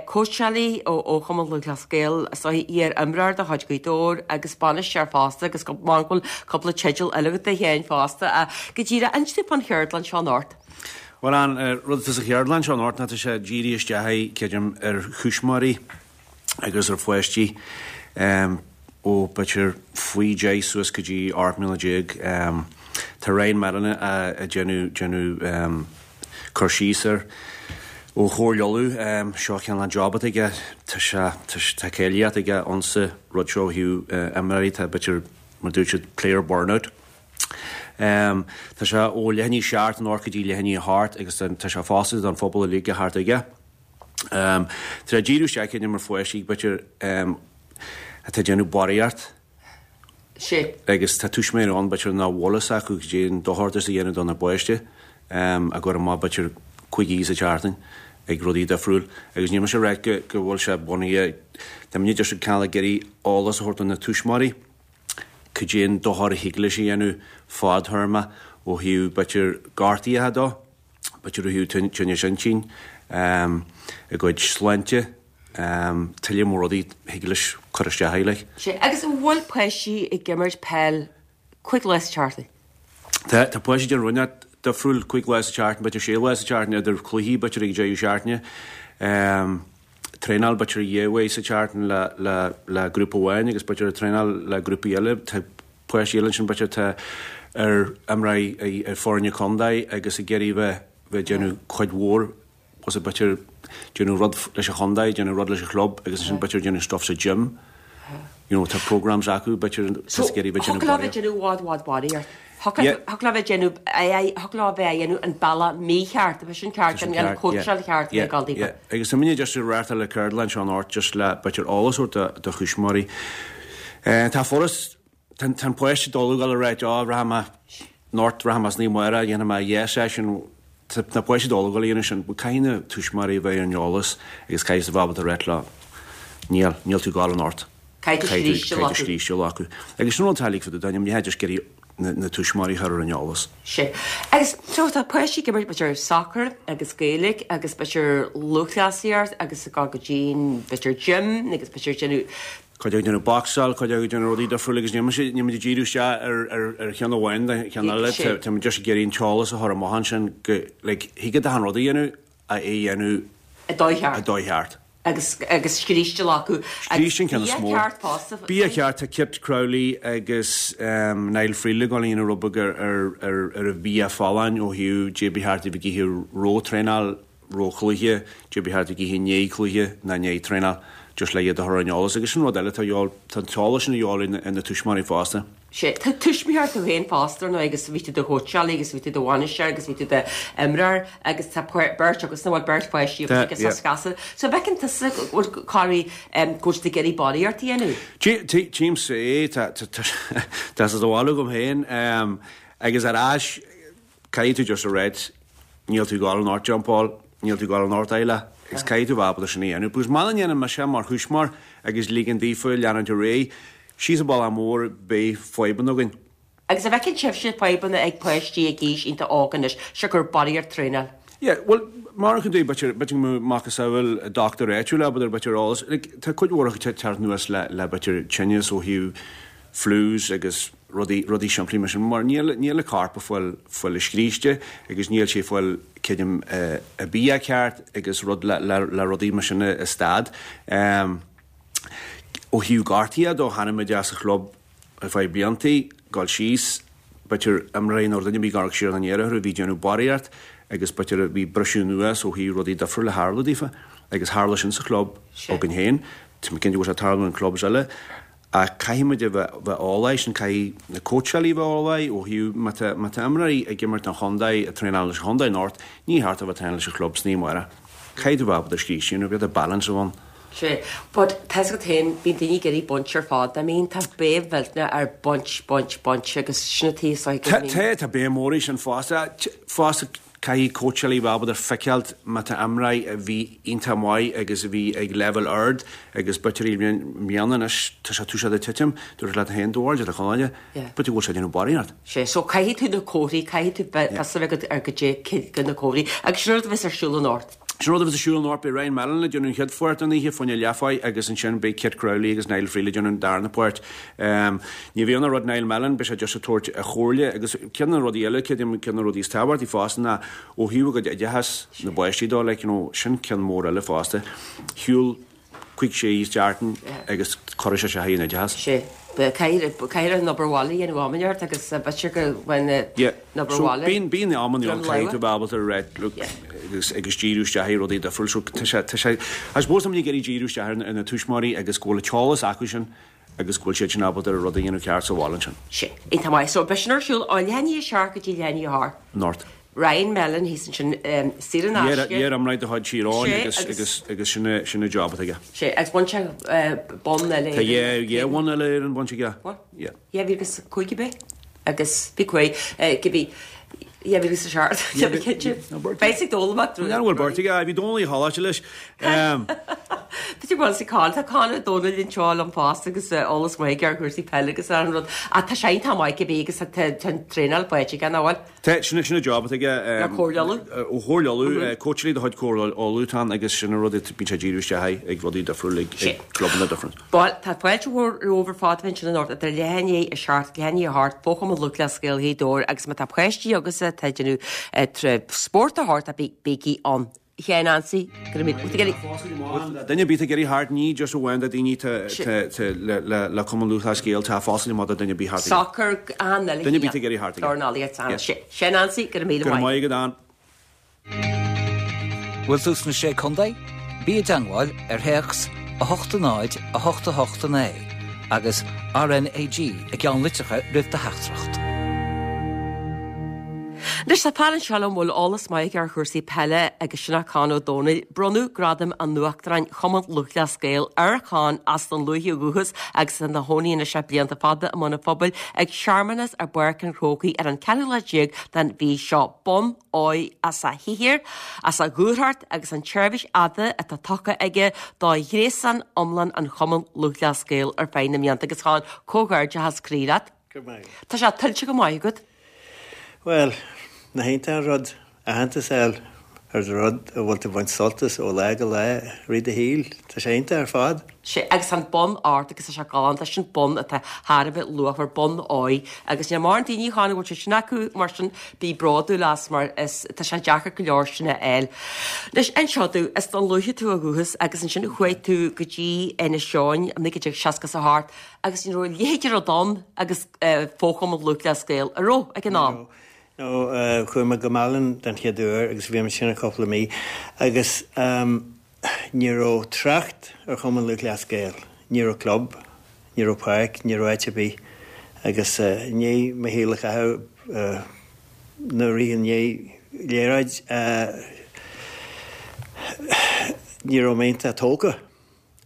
cóitseálaí ó Chumann Lúthchleas Gael, is dóigh iar-imreoir de chuid Ghaoth Dobhair agus bainisteoir fosta agus go bhfuil cúpla teideal eile agat féin fosta. Go díreach, inis dúinn fán cheardlann seo anocht. Bhuel, an rud atá sa cheardlann seo anocht ná tá sé dírithe isteach, creidim, ar thuismitheoirí agus ar pháistí ó b'fhéidir faoi deich suas go dtí ocht mbliana déag. Tá Ryan Mallon ag déanamh déanamh cur síos air ó Chomhairle Uladh. Seo cineál an job atá aige, tá sé tá cáilíocht aige insa rud seo ó thaobh imreoirí, tá b'fhéidir mar dúirt siad player burnout. Um, tá sé ó leath i ndiaidh a seacht anocht go dtí leath i ndiaidh a hocht agus tá sé foscailte don phobal uilig a theacht aige. Um, tá sé díriú isteach ar pháistí b'fhéidir um, atá déanamh barraíocht Sé. Agus tá tuismitheoirí ann b'fhéidir nach bhfuil fhios acu cad é an dochar a dhéanamh do na páistí um, a gcur amach b'fhéidir cúig oíche sa tseachtain ag rudaí difriúil agus níl mise ag rá go go bhfuil sé bunaithe. Tá muid just cineál ag iarraidh eolas a thabhairt do na tuismitheoirí cad é an dochar a thig leis a dhéanamh fadthéarma ó thaobh b'fhéidir gortaithe dó, b'fhéidir ó thaobh tinneas intinn, um, a gcuid sláinte, um, tuilleadh mór rudaí thig leis cur isteach air, like. Sé, agus an bhfuil páistí ag imirt peil cúig lá sa tseachtain? Tá tá páistí den rud difriúil cúig lá sa tseachtain, b'fhéidir sé lá sa tseachtain idir cluichí b'fhéidir ag deireadh seachtaine. Um, traenáil b'fhéidir dhá uair sa tseachtain le, le, le grúpa amháin agus b'fhéidir traenáil le grúpaí eile. Tá páistí eile sin b'fhéidir tá ar imreoirí ar foirne contae agus ag iarraidh bheith bheith déanamh cuid mhór was b'fhéidir déanamh rud leis an chontae, déanamh rud leis an chlub agus sin b'fhéidir déanamh stuff sa gym. You know, tá programs acu b'fhéidir So, ag iarraidh bheith déanamh thig leo bheith barraíocht. déanamh bhfad bhfad barraíocht. Yeah. Thig leo bheith déanamh thig leo bheith déanamh an bealach mícheart, a sin ceart an an cóitseáil cheart ag dul daofa. Agus tá muid just ag reáchtáil an cheardlann seo anocht just le b'fhéidir eolas a thabhairt do thuismitheoirí. Eh, Tá foras tá an páiste dul go rá á rachaidh mé anocht rachaidh mé sna Maora dhéanfaidh mé dhá session na páistí dul go dhéanamh sin, caithfidh na tuismitheoirí bheith ar an eolas agus caithfidh a bheith ábalta rá leo níl níl tú ag gabháil anocht. Caithfidh tú scríste acu. Agus sin an tálig fu daim ní just iarraidh na, na tuismitheoirí a chur ar an eolas. Sé. Agus so tá páistí ag imirt b'fhéidir soccer agus Gaeilge agus b'fhéidir lúthchleasaíocht agus go go dtí b'fhéidir gym agus b'fhéidir déanamh Cuid ag déanamh boxáil, cuid ag déanamh rudaí difriúla agus níl níl díriú isteach ar ar ar cheann amháin de cheann eile Sé. tá just ag iarraidh an t-eolas a chur amach ansin go like thig leat an rud a dhéanamh a é dhéanamh a dóigh a cheart dóigh cheart. agus agus scríste acu. Scríste an ceann is mó. ceart fosta. Bia ceart tá Kit Crowley agus um, Niall Freely ag déanamh rud beag ar ar ar ar a bhia folláin ó thaobh cad é ba cheart a bheith ag ithe roimh traenáil roimh chluiche, cad é ba cheart ag ithe i ndiaidh cluiche ná i ndiaidh traenáil just le iad a chur ar an eolas agus sin rud eile tá tá an t-eolas sin a fháil ina tuismitheoirí fosta. Sé tá tuismitheoir tú féin fosta nó agus bhí tú do chóitseálaí agus bhí tú do bhainisteoir agus bhí tú d'imreoir agus tá beirt agus na bhfuil beirt pháistí Tá, agus yeah. scasa. So bhfeiceann tusa choirí go bhfuil tú ag iarraidh barraíocht a dhéanamh. Tchímse é tá tá sa bhálu gom féin agus ar ais caithfidh tú just a rá níl tú ag gabháil anocht jumpáil, níl tú ag gabháil anocht eile agus caithfidh tú bheith ábalta sin a dhéanamh. Because má dhéanann mé sé mar thuismitheoir agus ligean daofa leanúint ar aghaidh, síos an bealach mór beidh fadhbanna againn. Agus a bhfeiceann sibhse fadhbanna ag páistí ag aois iontach óg anois se gur barraíocht traenáil. Yeah, well, mar an dú b'fhéidir b'fhéidir macasamhail dochtúir áitiúil b'fhéidir b'fhéidir eolas, like, tá cuid mhór acu teacht anuas le le b'fhéidir tinneas ó thaobh flus agus rudaí rudaí simplí mar sin mar níl níl a corp ag fáil fáil a scríste agus níl sé fáil creidim uh, a bia ceart agus rud le, le, le rudaí mar sin a stad. Um, ó thaobh gortaithe do chonaic muid as a chlub ar feadh bliantaí gal síos b'fhéidir imreoir nó duine bhí gar siar an éireathe bhí déanamh barraíocht agus b'fhéidir bhí briseadh anuas ó thaobh rudaí difriúla tharla daofa agus tharla sin sa chlub Sé. againn féin Tá mé cinnte go bhfuil sé tarlú in clubs eile a caithfimid a bheith bheith eolach sin caithfidh na cóitseálaí bheith eolach ó thaobh má tá má tá imreoirí ag imirt an chontae ag traenáil leis an chontae anocht ní ceart a bheith traenáil leis an chlub sna Maora. Caithfidh tú bheith ábalta scríste nó bheith balance ann. Sea, but tá 'fhios agat féin, bíonn daoine ag iarraidh baint ar fad, I mean tá béim mhillteanach ar baint, baint, baint agus sin an taobh seo Tá, tá, tá béim mór air sin fosta. Fosta caithfidh cóitseálaí bheith ábalta feiceáilt má tá imreoir a bhí iontach maith agus a bhí ag leibhéal ard agus b'fhéidir i mbliana anois tá sé tosaithe ag titim, dúirt leat féin do bhaird le Conaile, b'fhéidir go bhfuil sé ag déanamh barraíocht. Sea, so caithfidh tú na comharthaí, caithfidh tú bheith fios agat ar goidé cé na comharthaí agus sin an rud a bheas ar siúl anocht. Sin rud a bheas ar siúl anocht, beidh Ryan Mellon ag déanamh an chéad pháirt den oíche, fá choinne leath-mhaith agus ansin beidh Kit Crowley agus Niall Freely ag déanamh an darna páirt. Ní bheidh ann ach rud Niall Mellon, beidh sé just ag tabhairt a chomhairle agus ceann de na rudaí eile, ceann de na rudaí is tábhachtaí fosta ná ó thaobh a gcuid oideachas na bpáistí dó, like, you know, sin ceann mór eile fosta. Shiúil cúig sé seachtain agus cuirfidh sé sé in oideachas. Sé. Caithfidh an obair bhaile a dhéanamh am inteacht agus b'fhéidir go bhfuil an obair bhaile. Bíonn bíonn amanna ann caithfidh tú bheith ábalta a rá look agus agus díriú isteach ar rudaí difriúil so tá sé tá sé I suppose tá muid ag iarraidh díriú isteach ar na tuismitheoirí agus go bhfuil an t-eolas acu sin agus go bhfuil siad sin ábalta ar rud a dhéanamh ceart sa bhaile ansin. Sin. Iontach maith. So beidh sin ar siúl ó leath i ndiaidh a seacht go dtí leath i ndiaidh a hocht. Anocht. Ryan Mellon thíos ansin saor in aisce. Iar imreoir de chuid Thír Eoghain agus agus agus sin é sin é job atá aige. Sé agus bhain sé bonn eile Tá dhá dhá bhonn eile Éireann bainte aige. Bhfuil? Yeah. Dhá mhíle agus cúig ab é? Agus bhí cuí cibé dhá mhíle agus a seacht Tá mé cinnte. Beidh ag dul amach Ní bhfuil beirt aige, bhí Dónal Uí Choláiste leis. Tá tú bhfuil sa Con, tá Con Ó Dónaill anseo liom fosta agus eolas maith aige ar chúrsaí peile agus ar an rud. Ach tá sé iontach maith cibé agus tá an traenáil faighte aige, nach bhfuil? Tá, sin sin an job atá aige. Le Comhairle Uladh? Ó Chomhairle Uladh, cóitseálaí de chuid Comhairle Uladh atá ann agus sin an rud a bíonn sé ag díriú isteach air ag rudaí difriúla ag ag clubanna difriúla. Bhuel, tá fáilte mhór romhaibh ar fad a bheith ansin anocht idir leath i ndiaidh a seacht, leath i ndiaidh a hocht, Fo-Chumann Lúthchleas Gael Ghaoth Dobhair agus má tá páistí agaibhse atá ag déanamh spórt a thabhairt, bígí ann. A Sheáin Ansaí, go raibh míle. Duine ar bith ag iarraidh theacht, ní just amháin do daoine le le Cumann Lúthchleas Gael, tá foscadh maith do duine ar bith theacht. Soccer an eile. Duine ar bith ag iarraidh theacht. Dornálaíocht an. Seán Ansaí, go raibh míle maith. Go raibh maith agat, Ann. Bhfuil tú sna Sé Contae? Bí i dteangmháil ar théacs a hocht a náid a hocht a hocht a naoi agus RnaG i gceannlitreacha roimh do theachtaireacht. Anois tá fear anseo liom a bhfuil eolas maith aige ar chúrsaí peile agus sin é Con Ó Dónaill. Bronnadh Gradam an Uachtaráin Chumann Lúthchleas Gael ar Chon as Dún Lúiche ó dhúchas agus ina chónaí anois le blianta fada i mBun an Phobail ag searmanas i bPáirc an Chrócaigh ar an ceathrú lá déag den mhí seo. Bonn óir as a shaothar, as a dhúthracht agus an tseirbhís fhada atá tugtha aige do ghréasán iomlán an Chumann Lúthchleas Gael ar feadh na mblianta agus Con, comhghairdeachas croí leat. Go raibh maith agat. Tá sé tuillte go maith agat. Bhuel, nach iontach an rud aitheantas a fháil ar rud a bhfuil tú ag baint sult as ó lá go lá i rith do shaoil. Tá sé iontach ar fad. Sea, agus tá an bonn ort agus tá sé galánta, sin bonn atá thar a bheith luachmhar, bonn óir. Agus níl mórán daoine a Chon a bhfuil sé sin acu, mar sin bí bródúil as mar is tá sé deacair go leor sin a fháil. Anois, inis domh, as Dún Lúiche tú ó dhúchas agus ansin chuaigh tú go dtí Inis Eoghain i naoi déag seasca is a hocht agus ní raibh a leithéid de rud ann agus Fo-Chumann Lúthchleas Gael, an raibh, ag an am? No, chuaigh mé go Málainn den chéad uair agus bhí mé ansin cúpla mí agus ní raibh trácht ar Chumann Lúthchleas Gael, ní raibh club, ní raibh páirc, ní raibh áit ar bith agus i ndiaidh mo shaol a chaitheamh nó rith i ndiaidh liathróid ní raibh mé iontach tógtha.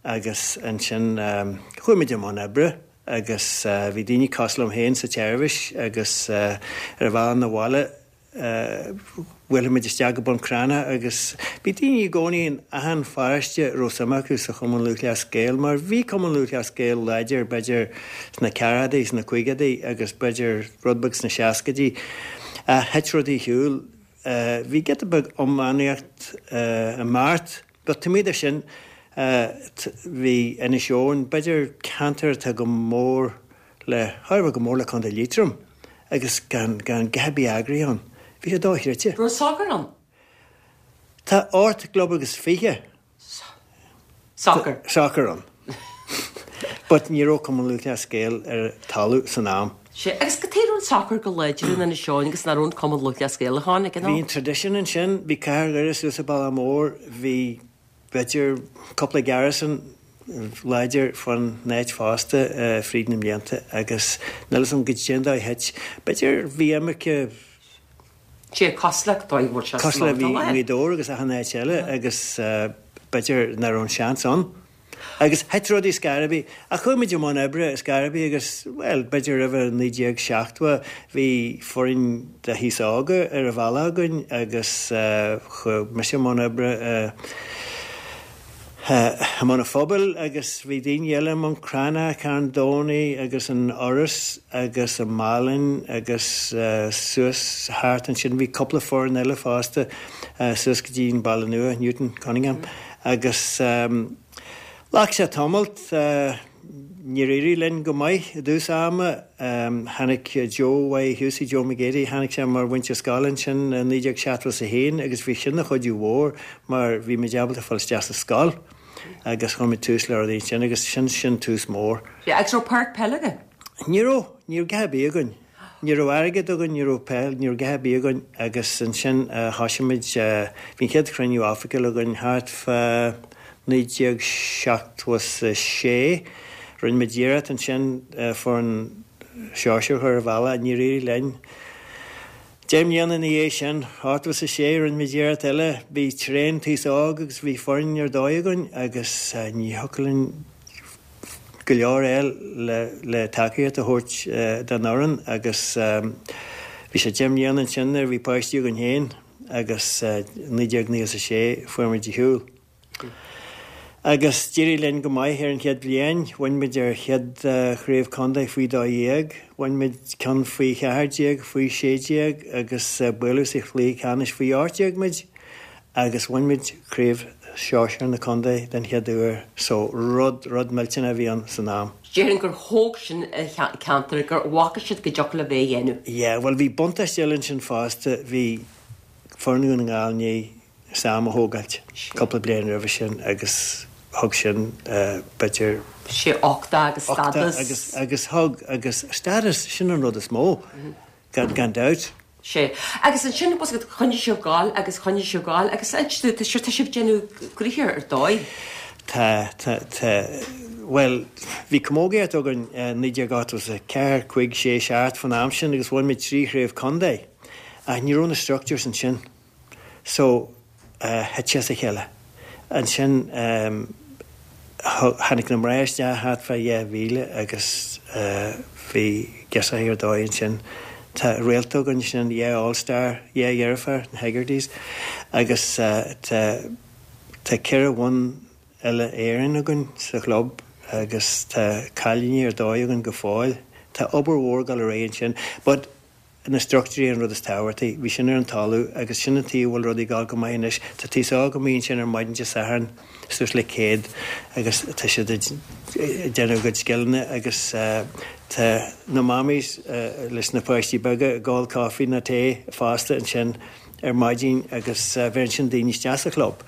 Agus ansin chuaigh muid i mbun oibre agus bhí daoine cosúil liom féin sa tseirbhís agus ar an bhealach 'na bhaile bhuailfeadh muid isteach go Bun Cranncha agus bhí daoine i gcónaí in achan pharóiste a raibh suim acu sa Chumann Lúthchleas Gael mar bhí Cumann Lúthchleas Gael láidir b'fhéidir sna ceathrachaidí, sna caogaidí agus b'fhéidir rud beag sna seascaidí ach thit rudaí ar shiúl. Bhí giota beag iománaíocht i mbeart. But taobh amuigh de sin, bhí Inis Eoghain, b'fhéidir ceantar atá go mór le, thar a bheith go mór le Contae Liatroim agus gan, gan a dhath ar bith eagraithe ann. Bhí sé dochreidte. Raibh sacar ann? Tá ocht gclub agus fiche. Sacar. Sacar ann. But ní raibh Cumann Lúthchleas Gael ar talamh san am. Sea, agus cad chuige a raibh an sacar go láidir in Inis Eoghain agus nach raibh an Cumann Lúthchleas Gael ann ag an am? Bhí an tradition ansin, bhí Cathair Dhoire suas an bealach mór, bhí b'fhéidir cúpla garrison láidir fán áit fosta fríd na mblianta agus níl 'fhios a'm goidé an dóigh a thit. B'fhéidir bhí imirce. Sea, cosúil le dóigh a bhfuil sé Cosúil le bhí i nGaoth Dobhair agus achan áit eile agus b'fhéidir nach raibh an seans ann. Agus thit rudaí scor ar bith. Ach chuaigh muid i mbun oibre scor ar bith agus, bhuel, b'fhéidir roimhe naoi déag seachtó bhí foireann de thíos óga ar an bhealach againn agus chuaigh mise i mbun oibre i mbun an phobail agus bhí daoine eile i mbun Crannach, Carn Domhnaigh agus an Fhoras agus i Málainn agus suas thart ansin bhí cúpla foireann eile fosta suas go dtí an Baile Nua, Newton, Cunningham agus Ghlac sé tamalt. Níor éirigh linn go maith i dtús ama. Tháinig Joe Y. Hughsie, Joe McGeady, tháinig sé mar mhúinteoir scoile ansin i naoi déag seachtó is a haon agus bhí sin ina chuidiú mhór mar bhí muid ábalta fáil isteach sa scoil agus chuir muid tús le rudaí ansin agus sin, sin tús mór. Yeah, agus raibh páirc peile agaibh? Ní raibh, ní raibh a dhath ar bith againn. Ní raibh airgead againn, ní raibh peil, ní raibh a dhath ar bith againn agus ansin thoisigh muid, bhí an chéad chruinniú oifigiúil againn thart fá naoi déag seachtó is a sé. Rinne muid iarracht ansin foireann sóisir a chur ar an bhealach, níor éirigh linn. Deich mbliana ina dhiaidh sin, ochtó is a sé, rinne muid iarracht eile, bhí traein taos óg agus bhí foireann ar dóigh againn agus ní thiocfadh linn go leor a fháil le tacaíocht a thabhairt don fhoireann agus bhí sé deich mbliana ansin nuair a bhí páistí againn féin agus naoi déag naocha is a sé fuair muid ar shiúl. Agus d'éirigh linn go maith ar an chéad bhliain, bhain muid ár chéad chraobh contae faoi dó dhéag, bhain muid ceann faoi cheathair déag, faoi sé déag agus buaileadh sa chluiche ceannais faoi ocht déag muid agus bhain muid craobh sóisir na contae den chéad uair so rud, rud millteanach a bhí ann san am. Déarfainn gur thóg sin an ceantar, gur bhfaca siad go dtiocfadh le bheith a dhéanamh. Yeah, bhuel bhí buntáiste eile ansin fosta, bhí foireann Dhún na nGall i ndiaidh Sam a thógáilt cúpla bliain roimhe sin agus thug sin b'fhéidir. Sé uchtach agus stádas. Agus, agus thug, agus stádas, sin an rud is mó, gan, gan dabht. Sé. Agus ansin, bhfuil a fhios agat, choinnigh sibh ag gabháil agus choinnigh sibh ag gabháil agus ansin, tá sibh, tá sibh ag déanamh gnoithe ar dóigh. Tá, tá, tá, bhuel, bhí camógaíocht againn i naoi déag ochtó is a ceathair, cúig, sé, seacht, fán am sin agus bhain muid trí chraobh contae ach ní raibh na structures ansin. So, thit sé as a chéile. Ansin tháinig na mná isteach thart fá dhá mhíle agus bhí girseachaí ar dóigh ansin. Tá réalta againn ansin, dhá All Star, dhá dheirfiúr, na Hegartys, agus tá tá ceithre bhonn Uile Éireann againn sa chlub agus tá cailíní ar dóigh againn go fóill. Tá obair mhór ag dul ar aghaidh ansin. But na struchtúirí an rud is tábhachtaí. Bhí sin ar an talamh agus sin an tuige a bhfuil rudaí ag dul go maith anois. Tá taos óg amuigh ansin ar maidin Dé Sathairn suas le céad agus tá siad ag déanamh a gcuid scileanna agus tá na mammies leis na páistí beaga ag ól caife nó tae fosta ansin ar maidin agus bheireann sin daoine isteach sa chlub.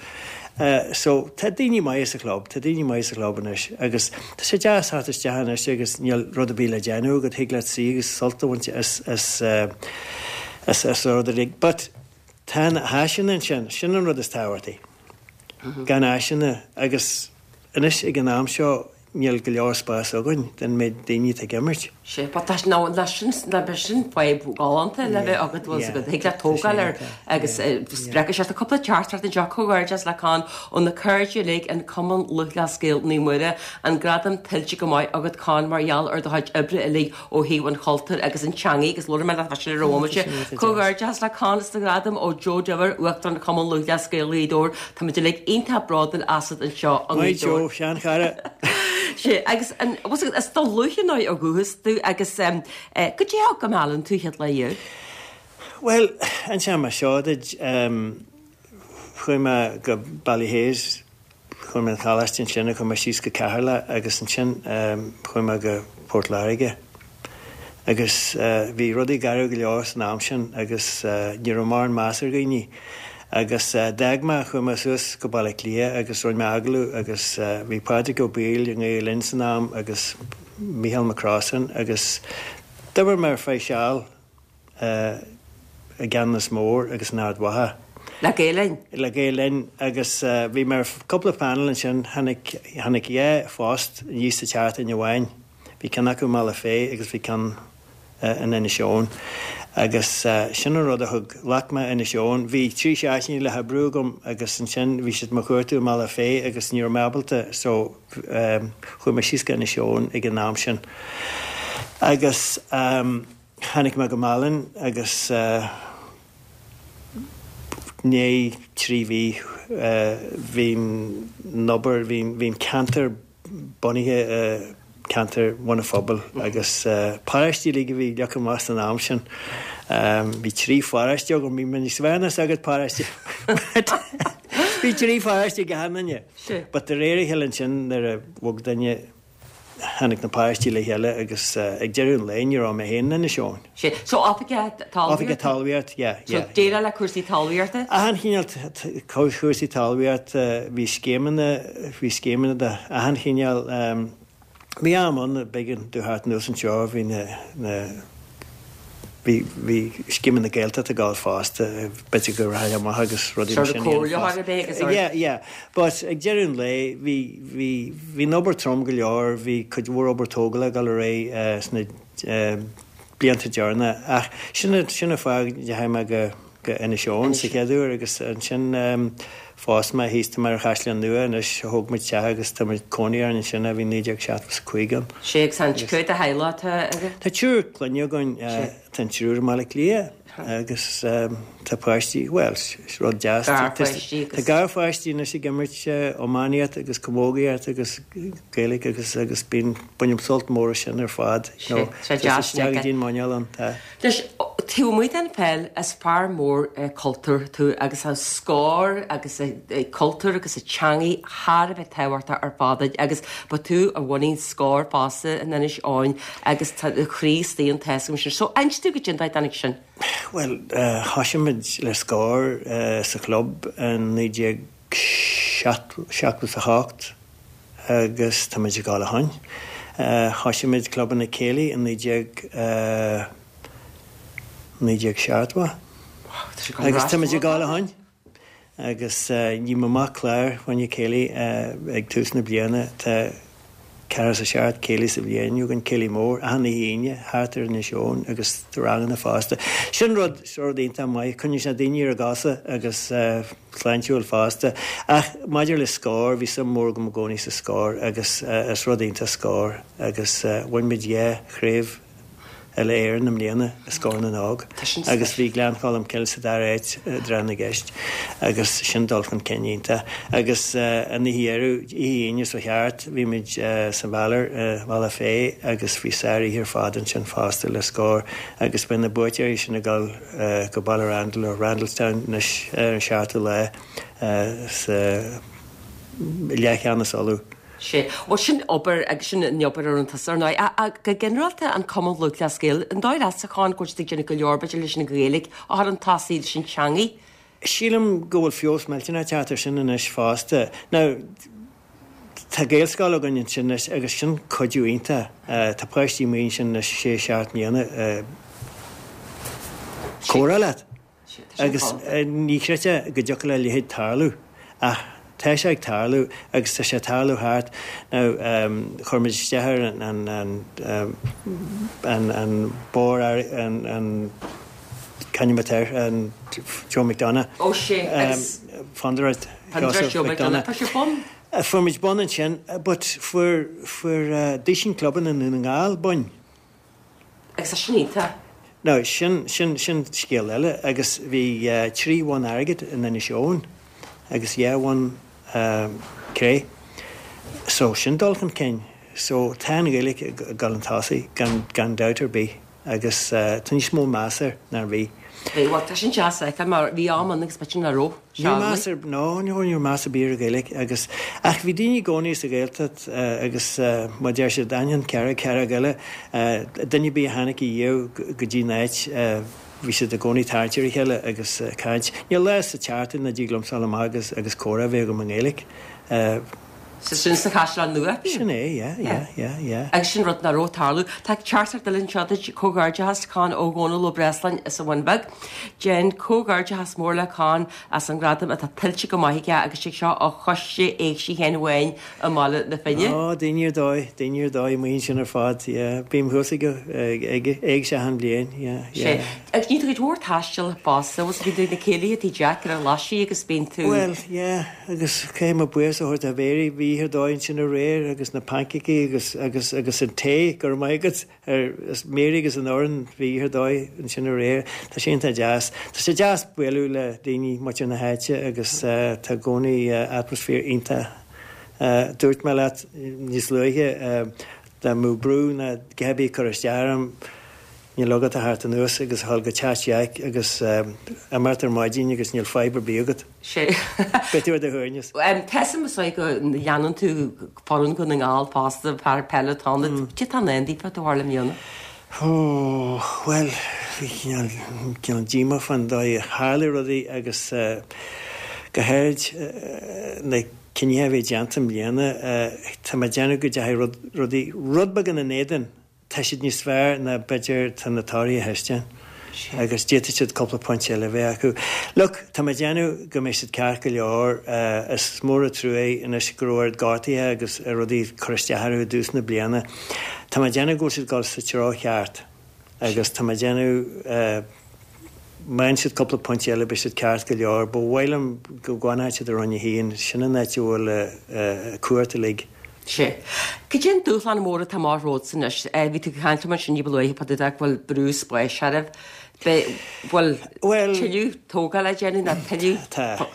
So tá daoine maithe sa chlub, tá daoine maithe sa chlub anois agus tá sé deas theacht isteach anois agus níl rud ar bith le déanamh agat, thig leat suí agus sult a bhaint as as as as rud ar bith. But tá na háiseanna ansin, sin an rud is tábhachtaí. Gan áiseanna agus anois ag an am seo Níl go leor spás againn don méid daoine atá ag imirt. Sea, but tá, nó, ná sin, ná bheadh sin fadhb ghalánta le bheith agat, bhfuil a fhios agat, thig leat tógáil air agus spreagfaidh sé tá cúpla teachtaireacht anseo, comhghairdeas le Con ó na cairde uilig in Cumann Lúthchleas Gael Naomh Muire, an gradam tuillte go maith agat Con mar gheall ar do chuid oibre uilig ó thaobh an chultúir agus an teangaidh agus labhair mé leat fá sin ar an bhomaite. Comhghairdeas le Con as do ghradam ó Joe Diobhair, Uachtarán Chumann Lúthchleas Gael Ghaoth Dobhair. Táimid uilig iontach bródúil asat anseo i Maith nGaoth Dobhair. Joe, seanchara. Sea, agus an, bhfuil a fhios agat, as Dún Lúiche nó ó dhúchas tú agus eh, goidé a thug go Meallann tú chéad lá riamh? Bhuel, inseoidh mé seo duit, em, chuaigh mé go Ballyhaise, chuaigh mé an choláiste ansin, chuaigh mé síos go Ceatharlach agus ansin em, chuaigh mé go Port Láirge. Agus bhí rudaí garbh go leor san am sin agus ní raibh mórán meas ar dhaoine. Agus d'fhág mé, chuaigh mé suas go Baile Átha Cliath agus rinne mé agallamh agus bhí Pádraig Ó Baoill i nGael Linn san am agus Mícheál Mac Crossan agus d'oibir mé ar feadh seal i gCeanannas Mór agus in Ard Mhacha. Le Gael Linn? Le Gael Linn agus bhí mé ar cúpla panel ansin, tháinig, tháinig dhá phost aníos sa tseachtain amháin. Bhí ceann acu i mBealach Féich agus bhí ceann in Inis Eoghain agus sin an rud a thug, ghlac mé Inis Eoghain. Bhí trí seachtainí le hoibriú agam agus ansin bhí siad mo chuartú i mBealach Féich agus ní raibh mé ábalta so chuaigh mé síos go Inis Eoghain ag an am sin. Agus tháinig mé go Málainn agus i ndiaidh trí mhí bhí an obair, bhí an ceantar bunaithe i gceantar Bhun an Phobail agus paráistí uilig a bhí leagtha amach san am sin. Bhí trí pharáiste agam, bhí mé níos fearr ná sagart paráiste. Bhí trí pharáiste ag achan duine. But de réir a chéile ansin nuair a bhog duine tháinig na paráistí le chéile agus ag deireadh an lae ní raibh mé féin in Inis Eoghain. Sea. So oifigeach talmhaíochta? Oifigeach talmhaíochta, yeah, yeah. So déileáil le cúrsaí talmhaíochta? Achan chineál cúrsaí talmhaíochta, bhí scéimeanna, bhí scéimeanna de achan chineál. Bhí am ann, b'éigean domh theacht anuas anseo, bhí na, na, bhí, bhí scéimeanna Gaeltachta ag gabháil fosta, b'fhéidir go rachaidh amach agus rudaí mar Sort sin of a dhéanamh comhairleoir fosta. ar bith agus sort. Yeah, yeah. But ag deireadh an lae, bhí, bhí, bhí an obair trom go leor, bhí cuid mhór obair tógála ag dul ar aghaidh sna blianta deireanacha ach sin, sin an fáth go ndeachaigh mé go, go Inis Eoghain sa chéad uair agus ansin phós mé thíos, tá mé ar an Chaisleán Nua anois, thóg muid teach agus tá muid cónaí orainn ansin ó bhí naoi déag seachtó is a cúig ann. Sea, agus an cé mhéad de theaghlach atá agaibh? Tá triúr clainne againn, tá an triúr i mBaile Átha Cliath agus tá páistí, bhuel, is rud deas, Garpháistí tá agus. garpháistí anois ag imirt iománaíocht agus camógaíocht agus Gaeilge agus agus bíonn, bainim sult mór as sin ar fad, you know, Sea, tá sé deas isteach go dtí an muineál ann, tá. Anois, taobh amuigh den pheil, is fear mór cultúir tú agus tá Scór agus cultúr agus an teangaidh thar a bheith tábhachtach ar fad duit agus ba tú a bhunaigh Scór fosta in Inis Eoghain agus tá do chroí istigh ann tá a fhios agam sin. So, inis domh goidé an dóigh a dtáinig sin. Bhuel, thosaigh muid le Scór sa chlub in naoi déag seachtó is a hocht agus tá muid ag gabháil ó shin. Thosaigh muid clubanna céilí in naoi déag naoi déag seachtó agus tá muid ag gabháil ó shin. Agus ní mé amach clár fá choinne céilí ag tús na bliana. Tá ceathracha is a seacht céilí sa bhliain againn, céilí mór, achan oíche Aoine, thart ar Inis Eoghain agus ranganna fosta. Sin rud, rud iontach maith, coinníonn sé daoine ar a gcosa agus sláintiúil fosta. Ach maidir le Scór, bhí suim mhór agam i gcónaí sa Scór agus is rud iontach Scór agus bhain muid dhá chraobh Uile-Éireann i mbliana i Scór na nÓg agus bhí Gleann Cholm Cille sa dara háit i dtráth na gceist agus sin dul chun cinn iontach. Agus an oíche dheiridh, oíche Aoine seo thart, bhí muid sa Mhealar i mBealach Féich agus bhí sár-oíche ar fad ansin fosta le Scór agus beidh na buaiteoirí sin ag dul go Baile Randall nó Randalstown anois ar an seachtú lá sa leathcheannas Uladh. Sea. Bhuel, sin obair agus sin an obair a rinne tusa, ar ndóigh. Ach go ginearálta, an Cumann Lúthchleas Gael, an dóigh leatsa, a Chon, go bhfuil siad ag déanamh go leor, b'fhéidir, leis an Ghaeilge a chur chun tosaigh, leis an teangaidh? Sílim go bhfuil feabhas millteanach ag teacht air sin anois fosta. Now, tá Gaelscoil againn ansin anois agus sin cuidiú iontach. Tá páistí amuigh ansin anois sé, seacht mbliana ag comhrá leat. Agus ní chreidfeá go dtiocfadh le a leithéid tarlú, ach tá sé ag tarlú agus tá sé ag tarlú thart. Now, chuir muid isteach ar an, an, an, an bord, an, an, c'ainm atá air, an Joe McDonagh. Ó sea, agus. Fondúireacht Fondúireacht Joe McDonagh. Fuair sibh bonn? Fuair muid bonn ansin, but fuair, fuair duaiseanna clubanna i nDún na nGall boinn. Agus tá sin iontach. Now, sin, sin, sin scéal eile agus bhí trí bhonn airgid in Inis Eoghain agus dhá bhonn cré. So, sin dul chun cinn. So, tá an Ghaeilge ag dul chun tosaigh gan, gan dabht ar bith agus tá níos mó meas air ná a bhí. Bhí, bhuel, tá sin deas a fheiceáil mar bhí am ann agus b'fhéidir nach raibh Ní raibh meas ar, no, ní raibh meas ar bith ar an Ghaeilge agus, ach bhí daoine i gcónaí sa Ghaeltacht agus mar deir siad, ainneoin cearc, cearc eile, duine ar bith a tháinig a dhiaidh go dtí an áit, bhí siad i gcónaí tarraingt ar a chéile agus caint. Níl lá sa tseachtain nach dtig liom dul amach agus agus comhrá a bheith agam i nGaeilge. Sin sa Chaisleán Nua. Sin é, yeah, yeah, yeah, yeah. Agus sin rud nach raibh ag tarlú. Tá teachtaireacht eile anseo duit, comhghairdeachas Con ó Dhónal Ó Breasláin as an Bhun Bheag. Déan comhghairdeachas mór le Con as an ngradam atá tuillte go maith aige agus sé seo ó Choiste Éigse Sheáin Bháin i mBaile na Finne. Ó, daoine ar dóigh, daoine ar dóigh amuigh ansin ar fad, yeah. Bím thuas ag ag éigse achan bhliain, yeah, yeah. Sé. Agus ní tú cuid mhór taistil fosta, bhfuil bíonn tú ag na céilithe Tigh Jack ar an Ghlaisigh agus bíonn tú. Bhuel, yeah, agus caithfidh mé buíochas a thabhairt do Mhary, bhí oíche ar dóigh ansin aréir agus na pancacaí agus agus agus an tae, go raibh maith agat ar is Mary agus an fhoireann, bhí oíche ar dóigh ansin aréir. Tá sé iontach deas. Tá sé deas bualadh le daoine muintir na háite agus tá i gcónaí atmaisféar iontach. Dúirt mé leat níos luaithe dá mbeadh brú ná a dhath ar bith ag cur isteach orm, Níl agat ach a theacht anuas agus a dhul go teach Jeaic agus imeacht ar maidin agus níl fadhb ar bith agat. Sé. Beidh tú ar do shuaimhneas. Tá a fhios agam go leanann tú foireann Dhún na nGall fosta, fear peile atá ann. Cad é atá i ndán daofa de bharr le mbliana? Ó, bhuel, bhí cineál, cineál díomá fán dóigh a tharla rudaí agus go háirid na cinnithe a bhí déanta i mbliana. Tá mé ag déanamh go dteachaigh rud, rudaí, rud beag ina n-éadan. Tá siad níos fearr ná b'fhéidir tá na torthaí a thaispeáin agus d'fhéadfadh siad cúpla pointe eile a bheith acu. Look, tá mé ag déanamh go mbeidh siad ceart go leor. Is mór an trua é anois go raibh oiread gortuithe agus rudaí ag cur isteach orthu i dtús na bliana. Tá mé ag déanamh go bhfuil siad ag dul sa treo cheart agus tá mé ag déanamh má fhaigheann siad cúpla pointe eile beidh siad ceart go leor. Ba mhaith liom go bhfanfadh siad i Roinn a haon, sin an áit a bhfuil a cumhacht uilig. Sea. Cad é an dúshlán mór atá amach romhatsa anois? Bhí tú ag caint liom ansin ní ba luaithe fá dtaobh de go bhfuil brú spáis oraibh. Beidh, bhfuil Bhuel, tuilleadh tógála le déanamh nó tuilleadh? Tá.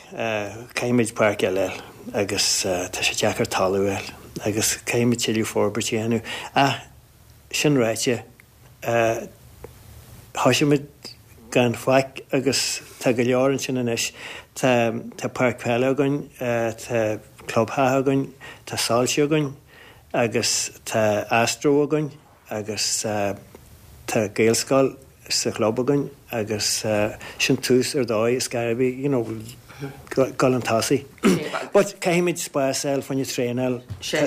Caithfimid páirc eile a fháil agus tá sé deacair talamh a fháil agus caithfimid tuilleadh forbairt a dhéanamh. Ach sin ráite, Thosaigh muid gan faic agus tá go leor ansin anois. Tá tá páirc peile againn, tá clubtheach againn, tá soilse againn agus tá astro againn agus tá Gaelscoil sa chlub againn agus sin tús ar dóigh is gar bith, you know, dul chun tosaigh. But caithfimid spás a fháil fá choinne traenáil.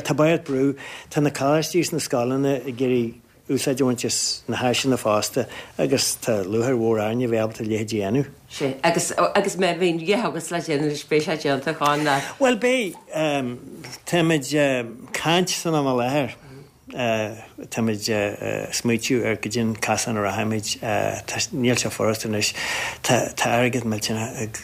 Tá beart brú, tá na coláistí is na scoileanna ag iarraidh úsáid a bhaint as na háiseanna fosta agus tá lúcháir mhór orainn a bheith ábalta a leithéid a dhéanamh. Sea, agus, agus má bhíonn a dhath agat le déanamh anois, beidh sé déanta, a Chon, le. Bhuel, beidh. Táimid ag caint san am i láthair. Táimid ag smaoitiú ar goidé an casán a rachaimid. Tá, níl sé furast anois. Tá, tá airgead millteanach ag.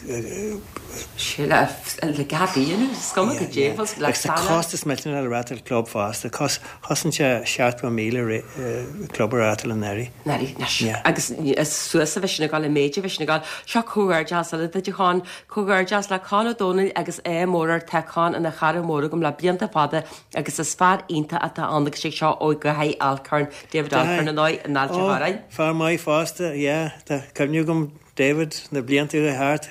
Sea, le, le gach a dhéanamh, is cuma goidé, le Agus tá costas millteanach le reáchtáil club fosta. Cos, Chosain sé seachtó míle club a reáchtáil anuraidh. Anuraidh, anois. Agus is suas a bheidh sin ag dul, an méid a bheidh sin ag dul. Seo comhghairdeas eile duit, a Chon. Comhghairdeas le Con Ó Dónaill agus ádh mór air. Tá Con ina chara mór agam le blianta fada agus is fear iontach atá ann agus sé seo ó Dhaithí Alcorn, David Alcorn ar ndóigh, in Ailt an Ó, Chorráin. fear maith fosta, yeah. Tá cuimhne agam David na blianta a chuaigh thart.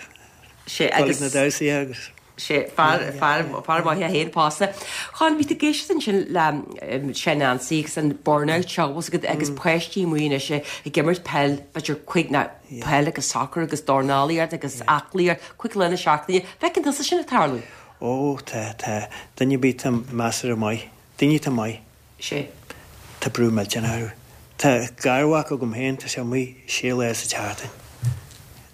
Sé Dul ag agus. na damhsaí agus. Sé, fear, fear, fear maith é féin fosta. Con, bhí tú ag éisteacht ansin le Seán Ansaí agus an burnout seo bhfuil a fhios agat agus páistí amuigh anois ag imirt peil, b'fhéidir cúig ná peil agus soccer agus dornálaíocht agus aclaíocht, cúig lá na seachtaine. Feiceann tusa sin ag tarlú? Ó, tá, tá. Duine ar bith atá measartha maith. Daoine atá maith. Sé. Tá brú millteanach orthu. Tá garmhac agam féin, tá sé amuigh sé lá sa tseachtain.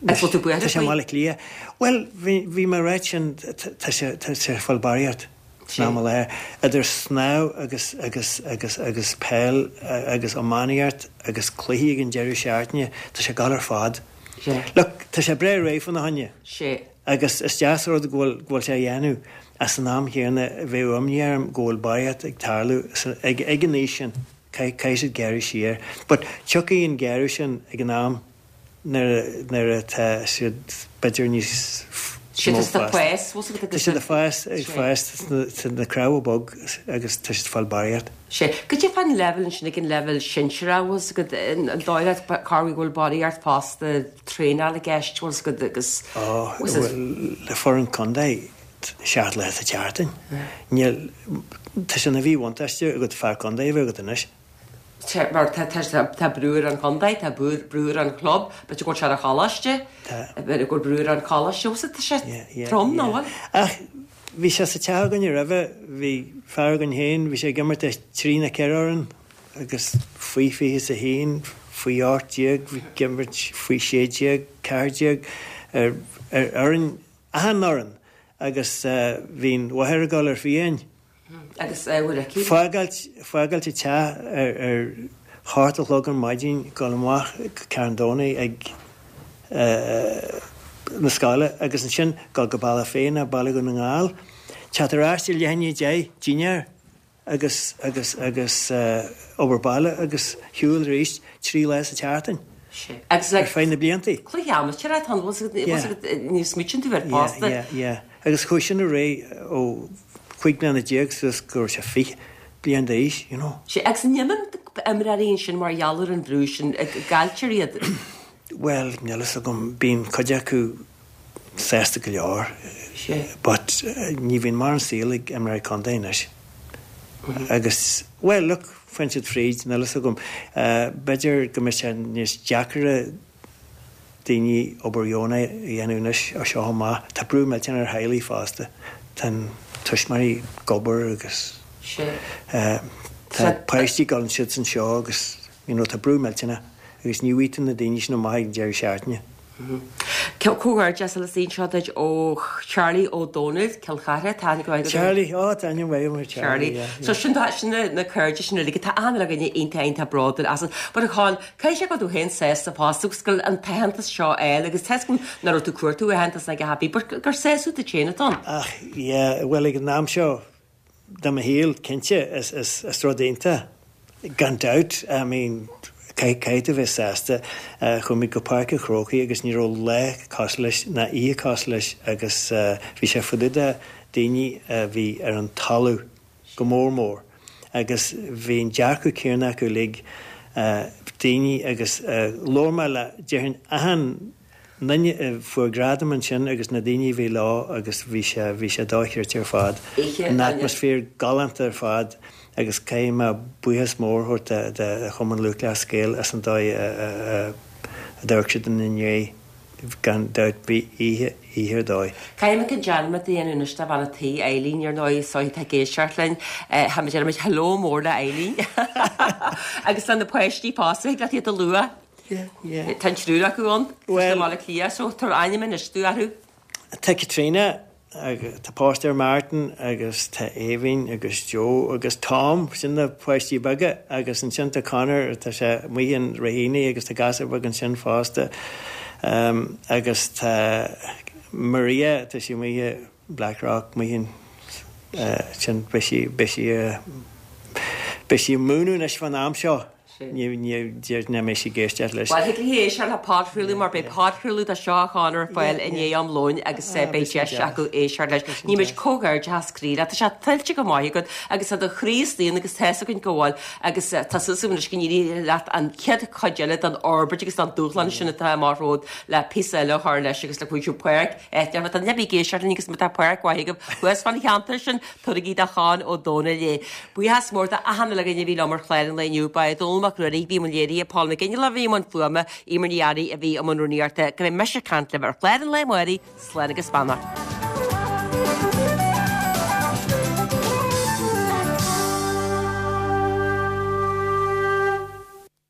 Agus bhfuil tú buartha Tá sé i faoi? mBaile Átha Cliath. Bhuel, bhí, bhí mé ag ráit sin, tá sé, tá sé ag fáil barraíocht san Sé. am i láthair. Idir snámh agus, agus, agus, agus peil agus iománaíocht agus cluichí ag an deireadh seachtaine, tá sé ag dul ar fad. Sé. Look, tá sé breá réidh fána choinne. Sé. Agus is deas an rud go bhfuil, go bhfuil sé á dhéanamh ach san am chéanna bheadh imní orm go bhfuil barraíocht ag tarlú ag, ag an aois sin. Caithfidh, caithfidh siad gearradh siar. But tiocfaidh an gearradh sin ag an am nuair a, nuair atá siad b'fhéidir níos Siad mó ag fásta. fás, bhfuil a fhios agat Tá siad ag fás, ag Sé. fás sna, sna cnámha bog agus tá siad ag fáil barraíocht. Sé. Goidé fán leibhéal ansin ag an leibhéal sinsearach, bhfuil a fhios agat, an dóigh leat corruair go bhfuil barraíocht fosta traenáil i gceist, bhfuil a fhios agat, agus Ó, bhfuil a fhios bhuel, le foireann contae, seacht lá sa tseachtain. Níl, tá sé ina mhíbhuntáiste agat fear contae a bheith agat anois. Tá, mar tá, tá, tá brú ar an chontae, tá brú, brú ar an chlub, b'fhéidir go bhfuil sé ar an choláiste, Tá. b'fhéidir go bhfuil brú ar an choláiste, bhfuil a fhios agat, tá sé Yeah, yeah, trom, yeah. nach bhfuil? Ach Bhí sé sa teach againne roimhe, bhí fear againn féin, bhí sé ag imirt ar trí nó ceithre fhoireann agus faoi fiche is a haon, faoi ocht déag, bhí ag imirt faoi sé déag, ceathair déag, ar ar fhoireann, achan fhoireann agus bhí an mháthair ag dul ar fiáin. Agus bhfuil aici? Fágáilt, fágáilt an teach ar ar hocht a chlog ar maidin, dul amach go Carn Domhnach ag na scoile agus ansin dul go Bealach Féich nó Baile Dhún na nGall, teacht ar ais i leath i ndiaidh a deich, dinnéar agus, agus, agus obair baile agus shiúl arís trí lá sa tseachtain. Agus ar feadh na blianta. Cluiche amaitéar atá ann, bhfuil fhios agat, ní smaoitíonn tú air fosta. Yeah, yeah, yeah. Agus chuaigh sin ar aghaidh ó chúig bliana déag suas go raibh sé fiche bliain d'aois, you know. Sea, agus an imíonn imreoirí ansin mar gheall ar an bhrú sin, cailltear iad? Bhuel, níl fhios agam, bíonn cuid acu sásta go leor, but ní bhíonn mórán saoil ag imreoirí contae anois. Agus, bhuel, look, faigheann siad fríd, níl fhios agam. B'fhéidir go mbeidh sé níos deacaire daoine obair dheonach a dhéanamh anois ó seo amach. Tá brú millteanach ar theaghlaigh fosta. Tá na tuismitheoirí ag obair agus tá páistí ag dul ansiúd is anseo agus, you know, tá brú millteanach agus ní bhfaighidh tú na daoine sin amach ag an deireadh seachtaine. Comhghairdeas le anseo duit ó Charlie Ó Dónaill, Cill Chartha, tá aithne go maith agat. Charlie, ó tá aithne mhaith agam ar Charlie, yeah. So sin sin na cairde sin uilig, tá achan duine iontach iontach bródúil asat. But a Chon, caithfidh sé go bhfuil tú féin sásta fosta agus go bhfuil an t-aitheantas seo á fháil agus tá 'fhios agam nach raibh tú ag cuartú aitheantas ag a happy, but gur sásamh duit féin atá ann. Ach yeah, bhuel ag an am seo de mo shaol, cinnte, is is is rud iontach. Gan dabht, I mean, caithfidh tú bheith sásta. Chuaigh muid go Páirc an Chrócaigh agus ní raibh lá cosúil leis ná oíche cosúil leis agus bhí sé fá dtaobh de daoine a bhí ar an talamh go mór mór agus bhí an dearcadh céanna acu uilig, daoine agus labhair mé le, déarfainn, achan nduine a fuair gradam ansin agus na daoine a bhí leo agus bhí sé, bhí sé dochreidte ar fad. An atmaisféar galánta ar fad agus caithfidh mé buíochas mór a thabhairt do Chumann Lúthchleas Gael as an dóigh a d'amharc siad ina ndiaidh. Gan dabht bhí oíche, oíche ar dóigh. Caithfidh mé dearmad a dhéanamh anois de bhean a' tí, Eileen, ar ndóigh, so tá ag éisteacht linn. Tá muid, déarfaidh muid hello mór le Eileen. Agus tá na páistí fosta, thig leat iad a lua. Yeah, yeah. Tá an triúr acu ann, tá siad i mBaile Átha Cliath, so tabhair ainm anois domh orthu. Tá Caitríona, tá páiste Martin agus tá Aoibhinn agus Joe agus Tom, sin na páistí beaga agus ansin tá Conor, tá sé amuigh in Raheny agus tá gasúr beag ansin fosta. Um, agus tá Maria, tá sí amuigh i Blackrock, amuigh in uh, sin beidh sí, beidh sí, uh, beidh sí ag múineadh anois fán am seo. Ní deir nach mbeidh sí ag éisteacht leis. Bhuel, thig léi éisteacht le podchraoladh mar beidh podchraoladh de seo a Chonor ar fáil i ndiaidh am lóin agus beidh deis acu éisteacht leis. Ní muid comhghairdeachas croí leat. Tá sé tuillte go maith agat agus tá do chroí istigh ann agus tá's againn go bhfuil agus tá súil agam anois go n-éireoidh leat an chéad chuid eile den fhorbairt agus den dúshlán sin atá amach romhat le píosa eile a chur leis agus le cuimsiú páirc áit Tá nebi ag éisteacht linn agus má tá páirc mhaith agaibh thuas fán cheantar sin, tabharaigí do Chon Ó Dónaill é. Buíochas mór d'achan uile dhuine a bhí liom ar chlár an lae inniu. Ba é Dónall Mac Ruairí a bhí i mbun léirithe, Paul McGinley a bhí i mbun fuaime, Eimear Ní Fhearraigh a bhí i mbun rúnaíochta. Go mbeidh mise ag caint libh ar chlár an lae amárach, slán agus beannacht.